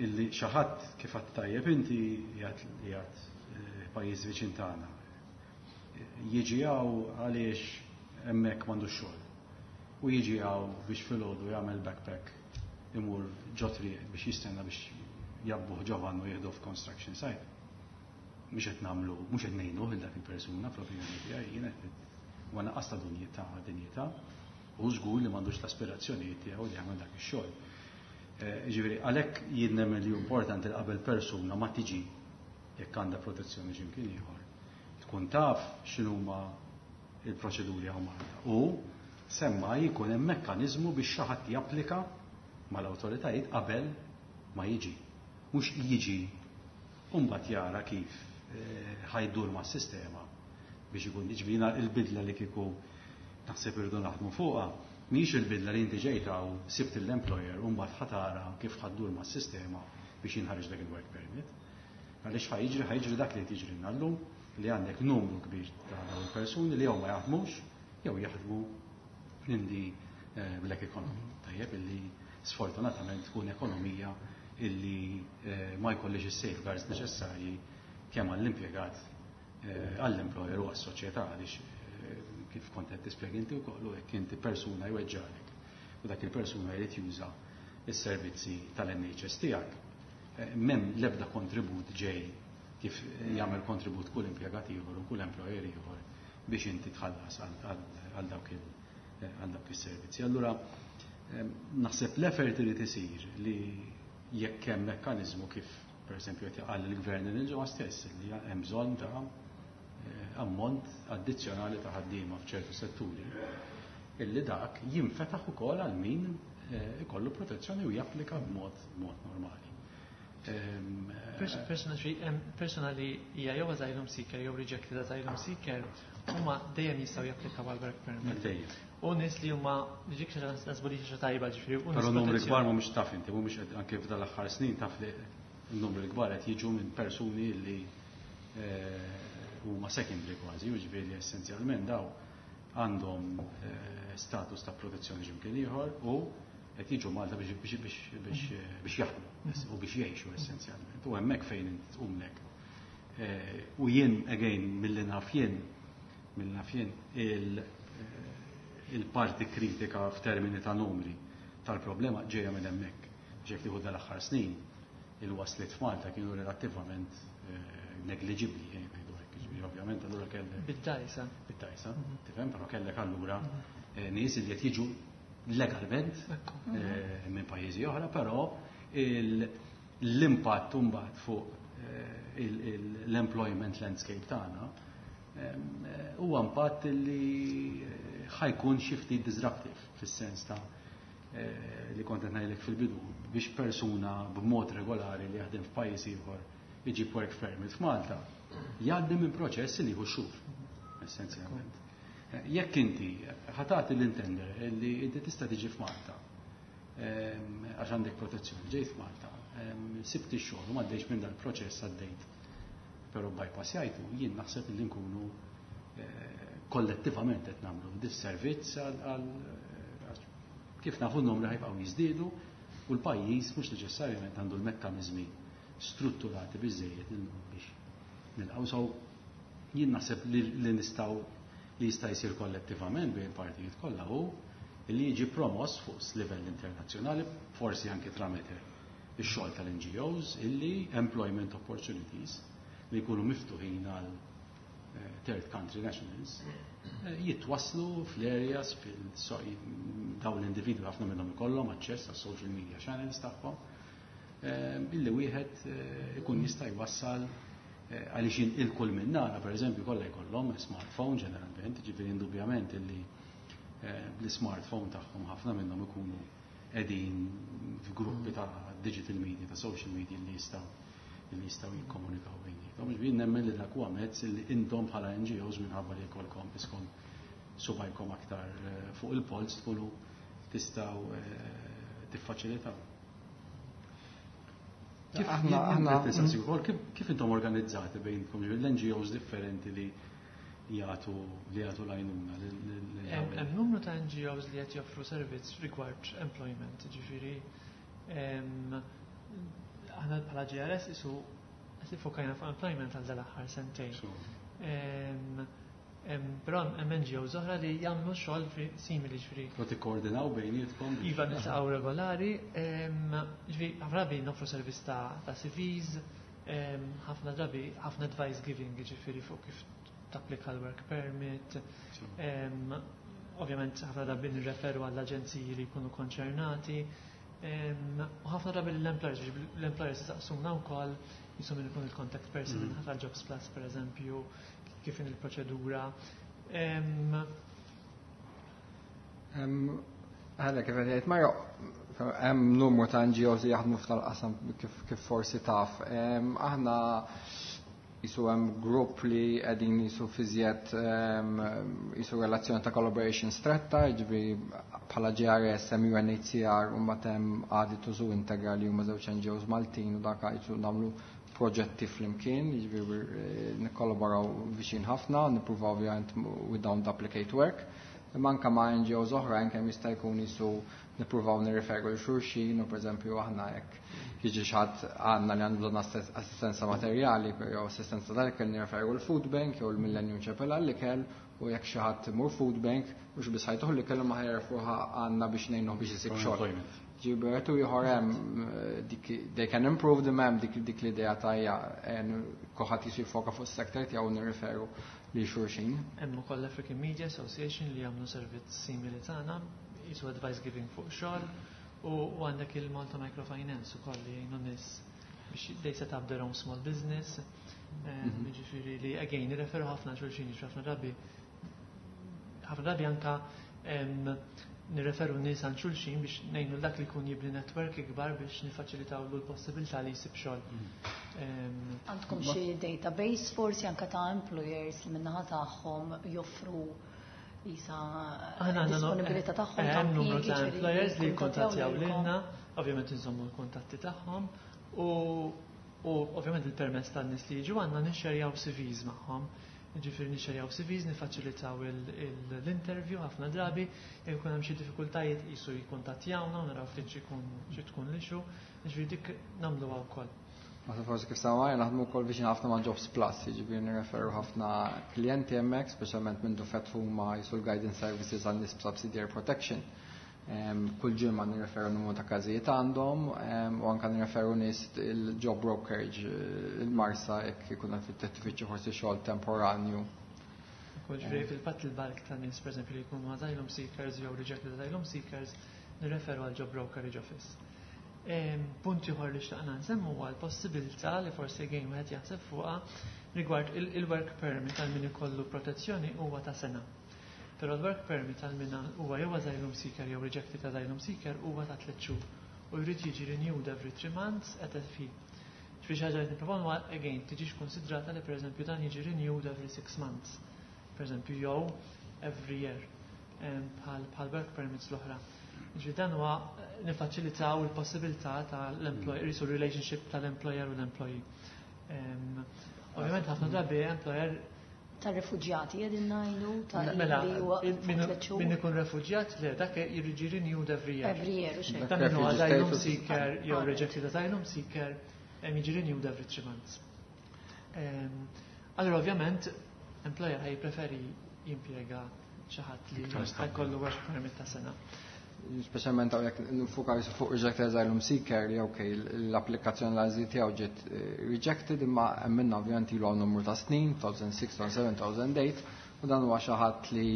illi xi ħadd, kif għedt tajjeb inti, qiegħed pajjiż viċin tagħna. Jiġi hawn għaliex hemmhekk m'għandux xogħol. U jiġi hawn biex filgħodu jagħmel backpack, imur ġo triq biex jistenna biex jgħabbuh ġo van u jieħdu f'construction site. Mhux qed nagħmlu, mhux qed ngħinu lil dak il-persuna fl-opinjoni tiegħi, jien qed huwa naqqas ta' dinjità dinjità u żgur li m'għandux l-aspirazzjonijiet tiegħu li jagħmel dak ix-xogħol. Ġifieri għalhekk jien nemmen li importanti li qabel persuna ma tiġi, jekk għandha protezzjoni x'imkien ieħor, tkun taf x'inhuma il-proċeduri hawn Malta. U semma jkun hemm mekkaniżmu biex xi ħadd japplika mal-awtoritajiet qabel ma jiġi. Mhux jiġi u mbagħad jara kif ħa jdur mas-sistema biex ikun, ġifieri il-bidla li kieku naħseb irridu naħdmu fuqha mhix il-bidla li inti ġejta u sibt l-employer u mbagħad ħa tara kif ħa ddur mas-sistema biex jinħareġ dak il-work permit. Għaliex ħa jiġri ħa jiġri dak li qed jiġri llum, li għandek numru kbir ta' dawn il-persuni li jew ma jaħdmux jew jaħdmu in the black economy. Tajjeb, illi sfortunatament tkun ekonomija illi ma jkollix is-safeguards neċessarji kemm għall-impjegat, għall-employer u għas-soċjetà, għaliex kif kont qed tispjega inti wkoll, jekk inti persuna jweġġalek u dak il-persuna jrid juża is-servizzi tal-N H S tiegħek. M'hemm l-ebda kontribut ġej kif jagħmel kontribut kull impjegat ieħor u kull employer ieħor biex inti tħallas għal dawk għal dawk is-servizzi. Allura naħseb l-effort irid isir li jekk hemm mekkaniżmu kif pereżempju qed jaqal il-gvern il-ġimgħa stess li hemm bżonn ta' ammont addizzjonali ta' ħaddiema f'ċertu setturi, illi dak jinfetaħ ukoll għal min ikollu protezzjoni u japplika b'mod b'mod normali. Persona li hija jew asylum seeker jew rejected asylum seeker huma dejjem jistgħu japplikaw għal work permit. Dejjem. U nies li huma dik xi nasbu li xi tajba ġifieri. U Però numri kbar mhumiex taf inti, mhumiex anke f'dal aħħar snin taf li n-numri kbar qed jiġu minn persuni li huma secondary kważi, jiġifieri essenzjalment daw għandhom status ta' protezzjoni x'imkien ieħor u qed jiġu Malta biex biex biex biex biex jaħdmu u biex jgħixu essenzjalment. U hemmhekk fejn tqumlek. U jien again milli naf jien milli naf jien il-parti kritika f'termini ta' numri tal-problema ġejja minn hemmhekk. Ġejk tieħu dal-aħħar snin il-wasliet f'Malta kienu relattivament negliġibbli, ngħidu hekk, ġifieri ovvjament allura kellek Bid-dajsa. Bid-dajsa, tifhem, però kellek allura nies li qed jiġu legalment minn pajjiżi oħra, però l-impatt imbagħad fuq l-employment landscape tagħna huwa impatt li ħa jkun xi ftit disruptive fis-sens ta' li kont qed ngħidlek fil-bidu biex persuna b'mod regolari li jaħdem f'pajjiż ieħor iġib work permit f'Malta jgħaddi minn proċess li jieħu xhur essenzjalment. Jekk inti ħa tagħti l-intender li inti tista' tiġi f'Malta għax għandek protezzjoni, ġejt f'Malta, sibt ix-xogħol u m'għaddejx minn dal-proċess għaddejt. Però bypass jgħidu, jien naħseb li nkunu kollettivament qed nagħmlu disservizz għal kif nafu n-numri ħa jibqgħu jiżdiedu u l-pajjiż mhux neċessarjament għandu l-mekkaniżmi strutturati biżejjed biex nilqgħu. So jien naħseb li nistgħu li jista' jsir kollettivament bejn partijiet kollha hu li jiġi promoss fuq livell internazzjonali, forsi anke tramite ix-xogħol tal-N G Os, illi employment opportunities li jkunu miftuħin għal third country nationals jitwaslu fl-areas fil dawn l-individwi ħafna minnhom ikollhom aċċess għas social media channels tagħhom illi wieħed ikun jista' jwassal għaliex il-kull minnana, per eżempju, kollha jkollhom smartphone ġeneralment, ġifieri indubjament illi l-smartphone tagħhom ħafna minnhom ikunu qegħdin f'gruppi ta' digital media, ta' social media li jistgħu li jistgħu jikkomunikaw bejniethom. Ġifieri nemmen li dak huwa mezz li intom bħala N G Os minħabba li jkollkom iskom subajkom aktar fuq il-polz tkunu tistgħu tiffaċilitaw. Kif Aħna aħna kif intom organizzati bejnkom l-N G Os differenti li jagħtu li jagħtu l-għajnuna? Hemm numru ta' N G Os li qed joffru servizz rigward employment, ġifieri aħna bħala G R S isu qed iffokajna fuq employment għal dal-aħħar sentejn. Però hemm N G Os oħra li jagħmlu xogħol simili ġifieri. U tikkoordinaw bejnietkom? Iva, niltaqgħu regolari, ġifieri ħafna drabi noffru servizz ta' C Vs, ħafna drabi ħafna advice giving ġifieri fuq kif tapplika l-work permit. Ovvjament ħafna drabi nirreferu għall-aġenziji li jkunu konċernati. U ħafna drabi l-employers, l-employers jisaqsuna wkoll jisum min ikun il-contact person mm. tal-Jobs Plus per eżempju, kif in il-proċedura. Għalla, kif għedt Mario, hemm numru ta' N G Os li jaħdmu f'tal-qasam kif, kif forsi taf. Aħna jisu hemm grupp li qegħdin jisu fiżjed jisu relazzjoni ta' collaboration stretta, jiġifieri bħala G R S, hemm U N H C R u mbagħad hemm Aditus u Integra li huma żewġ N G Os Maltin u dak jisu nagħmlu proġetti flimkien, jiġifieri nikkollaboraw viċin ħafna, nippruvaw ovvjament we don't duplicate work. Imma anka ma' N G Os oħrajn kemm jista' jkun jisu nippruvaw nirriferu lil xulxin u pereżempju aħna jekk jiġi xi ħadd għandna li għandu bżonn assistenza materjali jew assistenza tal-ikel nirreferu l-Food Bank jew l-Millennium Chapel għall-ikel u jekk xi ħadd imur Food Bank mhux biss ħa jtuh l-ikel imma ħa jerfuha għandna biex ngħinuh biex isib xogħol. Ġifieri u ieħor hemm eh, dik they can improve them, hemm dik dik l-idea ta' ja kulħadd jisu jfoka fuq is-sektor tiegħu, nirreferu li xulxin. Hemm ukoll l-African Media Association li jagħmlu servizz simili tagħna, jisu advice giving fuq xogħol, u u għandek il-Malta Microfinance ukoll li jgħinu nies biex they set up their own small business. Mhm. Ġifieri li again nirreferu ħafna xulxin, ġifieri ħafna drabi ħafna drabi anka em, nirreferu nies għand xulxin biex ngħinu dak li jkun jibni network ikbar biex nifaċilitaw l-possibilità li jsib xogħol. Em, Għandkom xi database forsi anka ta' employers li min-naħa tagħhom joffru jisa Aħna għandna disponibilità tagħhom eh, ta' hemm numru impjiegi, ta' ġifieri employers li jikkuntattjaw jikkuntattjaw lilkom. lilna, ovvjament nżommu l-kuntatti tagħhom u u ovvjament il-permess tan-nies li jiġu għandna nixxerjaw C Vs magħhom. Ġifieri nixxerjaw C Vs, nifaċilitaw il- il- l-interview ħafna drabi, jekk ikun hemm xi diffikultajiet jisu jikkuntattjawna u naraw ftit xi jkun xi tkun l-issue, ġifieri dik nagħmluha wkoll. Masa forsi kif samaj, naħdmu wkoll viċin ħafna ma' Jobs Plus, jiġifieri nirreferu ħafna klijenti hemmhekk, speċjalment minn fetħu ma jisu l-guidance services għal nies subsidiary protection. Em, Kull ġimgħa nirreferu numru ta' każijiet għandhom em, u anka nirreferu nies il-job brokerage, eh, il-Marsa, jekk ikun qed tfittxu forsi xogħol temporanju. Ukoll ġifieri fil-fatt il-bulk ta' nies, pereżempju, li jkunu asylum seekers jew rejected asylum seekers, nirreferu għal job brokerage office. Em, Punt ieħor li xtaqna nsemmu huwa l-possibilità li forsi again wieħed jaħseb fuqha rigward il- il-work permit għal min ikollu protezzjoni huwa ta' sena. Però l-work permit għal min huwa jew asylum seeker jew rejected asylum seeker huwa ta' tliet xhur u jrid jiġi renewed every three months at a fee. Ġifieri xi ħaġa li nipproponu huwa again tiġix konsidrata li, pereżempju, dan jiġi renewed every six months. Pereżempju, jew every year em, bħal bħal work permits l-oħra. Ġifieri dan huwa eh, nifaċilitaw il-possibilità tal-employer, jisu relationship tal-employer u l-employee. Em, Ovvjament ħafna drabi employer Tar-refuġjati qegħdin ngħidu ta' Mela, li huwa min tliet xhur. min ikun refuġjat, le, dak jiġi renewed every year. Every year u xejn. Dan min huwa Refugee asylum status. seeker jew Ah, rejected asylum seeker em, jiġi renewed every three months. Em, Allora ovvjament employer ħaj preferi jimpjega xi ħadd li Iktar stabbli. ħajkollu work permit ta' sena. Speċjalment hawn jekk nfukaw fuq rejected asylum seeker li ok, l-applikazzjoni l-azil tiegħu ġiet eh, rejected, imma hemm minna ovvjament ilu għal numru ta' snin, elfejn u sitta, elfejn u seba', elfejn u tmienja, u dan huwa xi ħadd li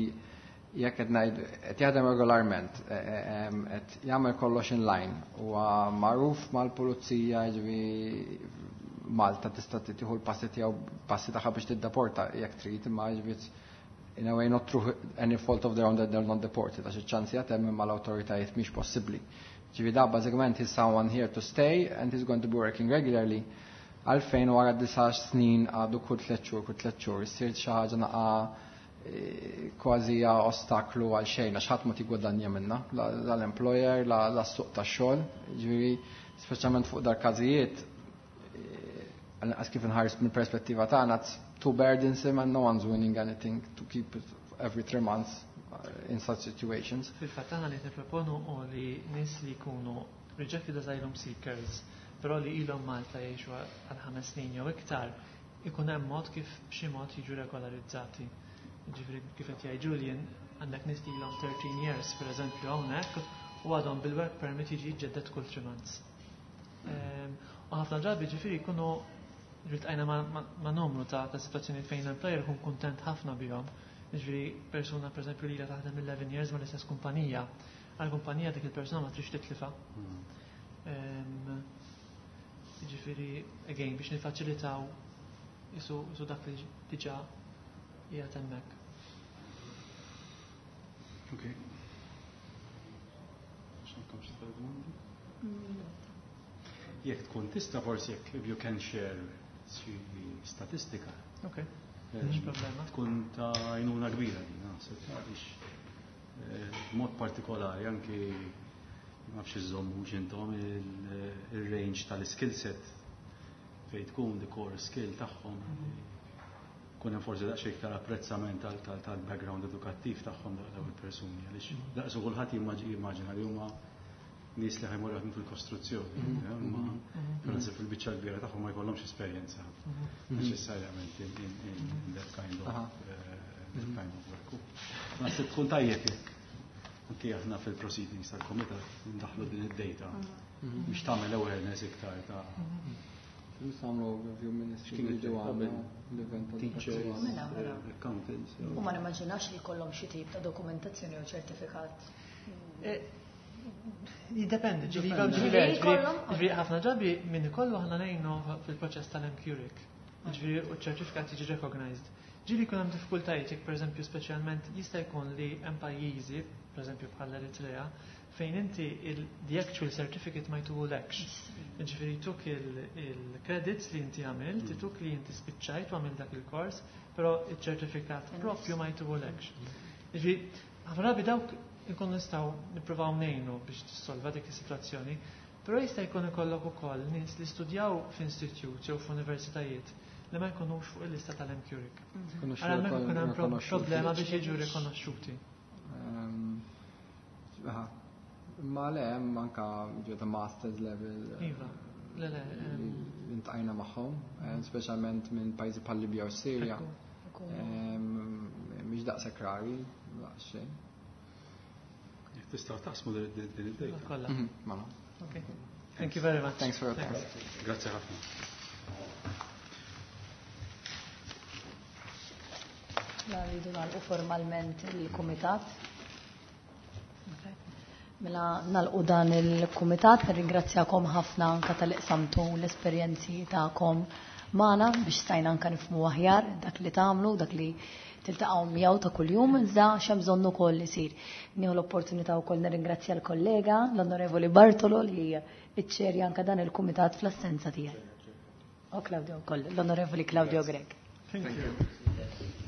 jekk qed ngħid qed jaħdem regolarment, eh, eh, em, qed jagħmel kollox in line, huwa magħruf mal-pulizija, jiġifieri Malta tista' tieħu l-passi tiegħu, passi tagħha biex tiddeporta jekk trid, imma jiġifieri in a way not through any fault of their own that they're not deported, għax iċ-ċansi għatem imma l-autoritajiet mhix possibbli. Ġifieri da bażikament he's someone here to stay and he's going to be working regularly. Għalfejn wara disa' snin għadu kull tliet xhur, kull tliet xhur, issir xi ħaġa naqa eh, kważi hija ostaklu għal xejn, għax ħadd ma tigwadanja minna, la l-employer, la la s-suq tax-xogħol. Ġifieri speċjalment fuq dar każijiet, għas kif nħares mill perspettiva tagħna, it's too burdensome and no one's winning anything to keep it every three months uh, in such situations. Fil-fatt aħna li nipproponu u li nies li jkunu rejected asylum seekers, però li ilhom Malta jgħixu għal ħames snin jew iktar, ikun hemm mod kif b'xi mod jiġu regolarizzati. Ġifieri kif qed jgħid Julian, għandek nies li ilhom thirteen years, pereżempju, hawnhekk u għadhom bil-work permit jiġi jiġġedded kull three months. Ehm, U ħafna drabi ġifieri jkunu iltqajna ma, ma, ma numru ta' ta' situazzjoni fejn l-employer ikun kuntent ħafna bihom. Ġifieri persuna, pereżempju, li ilha taħdem eleven years ma l-istess kumpanija. Għal kumpanija dik il-persuna ma trix titlifa. Ehm, Ġifieri, again, biex nifaċilitaw isu, isu dak li diġà qiegħed hemmhekk. Ok. X'għandkom xi domandi? Jekk tkun tista' forsi, jekk if you can share xi statistika. Ok, eh, mhux problema. Tkun ta' għajnuna kbira din, naħseb, għaliex eh, b'mod partikolari anki ma nafx iżommu intom il-range tal-skill set fejn tkun the core skill tagħhom, kun hemm forsi daqsxejn iktar apprezzament tal- tal- tal-background edukattiv tagħhom dawn il-persuni, għaliex daqsu kulħadd jimmaġ- jimmaġina li huma nies li ħa jmorru jaħdmu fil-kostruzzjoni, imma naħseb fil-biċċa l-kbira tagħhom ma jkollhomx esperjenza neċessarjament in, in, in, in that kind of Aha. uh, that kind of work. Naħseb tkun tajjeb jekk Anki aħna fil-proceedings tal-komitat ndaħlu din id-data biex tagħmel awareness iktar ta' Nistgħu overview ministry X'kien li ġew qabel? għandna l-event teachers, Mela, mela. accountants. U ma nimmaġinax li jkollhom xi tip ta' dokumentazzjoni u ċertifikat. Eh, Jiddependi, ġifieri Dipende. ġifieri Ġifieri jkollhom? ġifieri ħafna drabi min ikollu aħna ngħinu fil-proċess tal-MQRIC. Ġifieri u ċ-ċertifikat jiġi recognized. Ġieli jkun hemm diffikultajiet jekk pereżempju speċjalment jista' jkun li hemm pajjiżi, pereżempju bħal Eritrea, fejn inti il- the actual certificate ma jtuhulekx. Ġifieri jtuk il-credits li inti għamilt, jtuk li inti spiċċajt u għamilt dak il-kors, però il-ċertifikat propju ma jtuhulekx. Ġifieri, ħafna drabi dawk ikun nistgħu nippruvaw ngħinu biex tissolva dik is-sitwazzjoni, però jista' jkun ikollok ukoll nies li studjaw f'institute jew f'universitajiet li ma jkunux fuq il-lista tal-MQRIC. Ara hemmhekk ikun hemm pro- problema biex jiġu rikonoxxuti. Ma le, hemm anka ġew ta' masters level eh, Iva, le le. li em, li ltqajna magħhom, eh, speċjalment minn pajjiżi bħal Libja u Sirja. ekku. Em, Mhix daqshekk rari, daqs xejn. Jekk tistgħu taqsmu din din id-data. Kollha. Mhm, Mela. Okay. Thank you very much. Thanks for your time. Grazzi ħafna. La rridu nagħlqu formalment il-kumitat. Mela nagħlqu dan il-kumitat, nirringrazzjakom ħafna anka talli qsamtu l-esperjenzi tagħkom magħna biex stajna anka nifhmu aħjar dak li tagħmlu, dak li tiltaqgħu miegħu ta' kuljum, iżda x'hemm bżonn ukoll isir. Nieħu l-opportunità wkoll nirringrazzja l-kollega, l-Onorevoli Bartolo li iċċerja anka dan il-kumitat fl-assenza tiegħi. O Claudio wkoll, l-Onorevoli Claudio Grech. Thank you.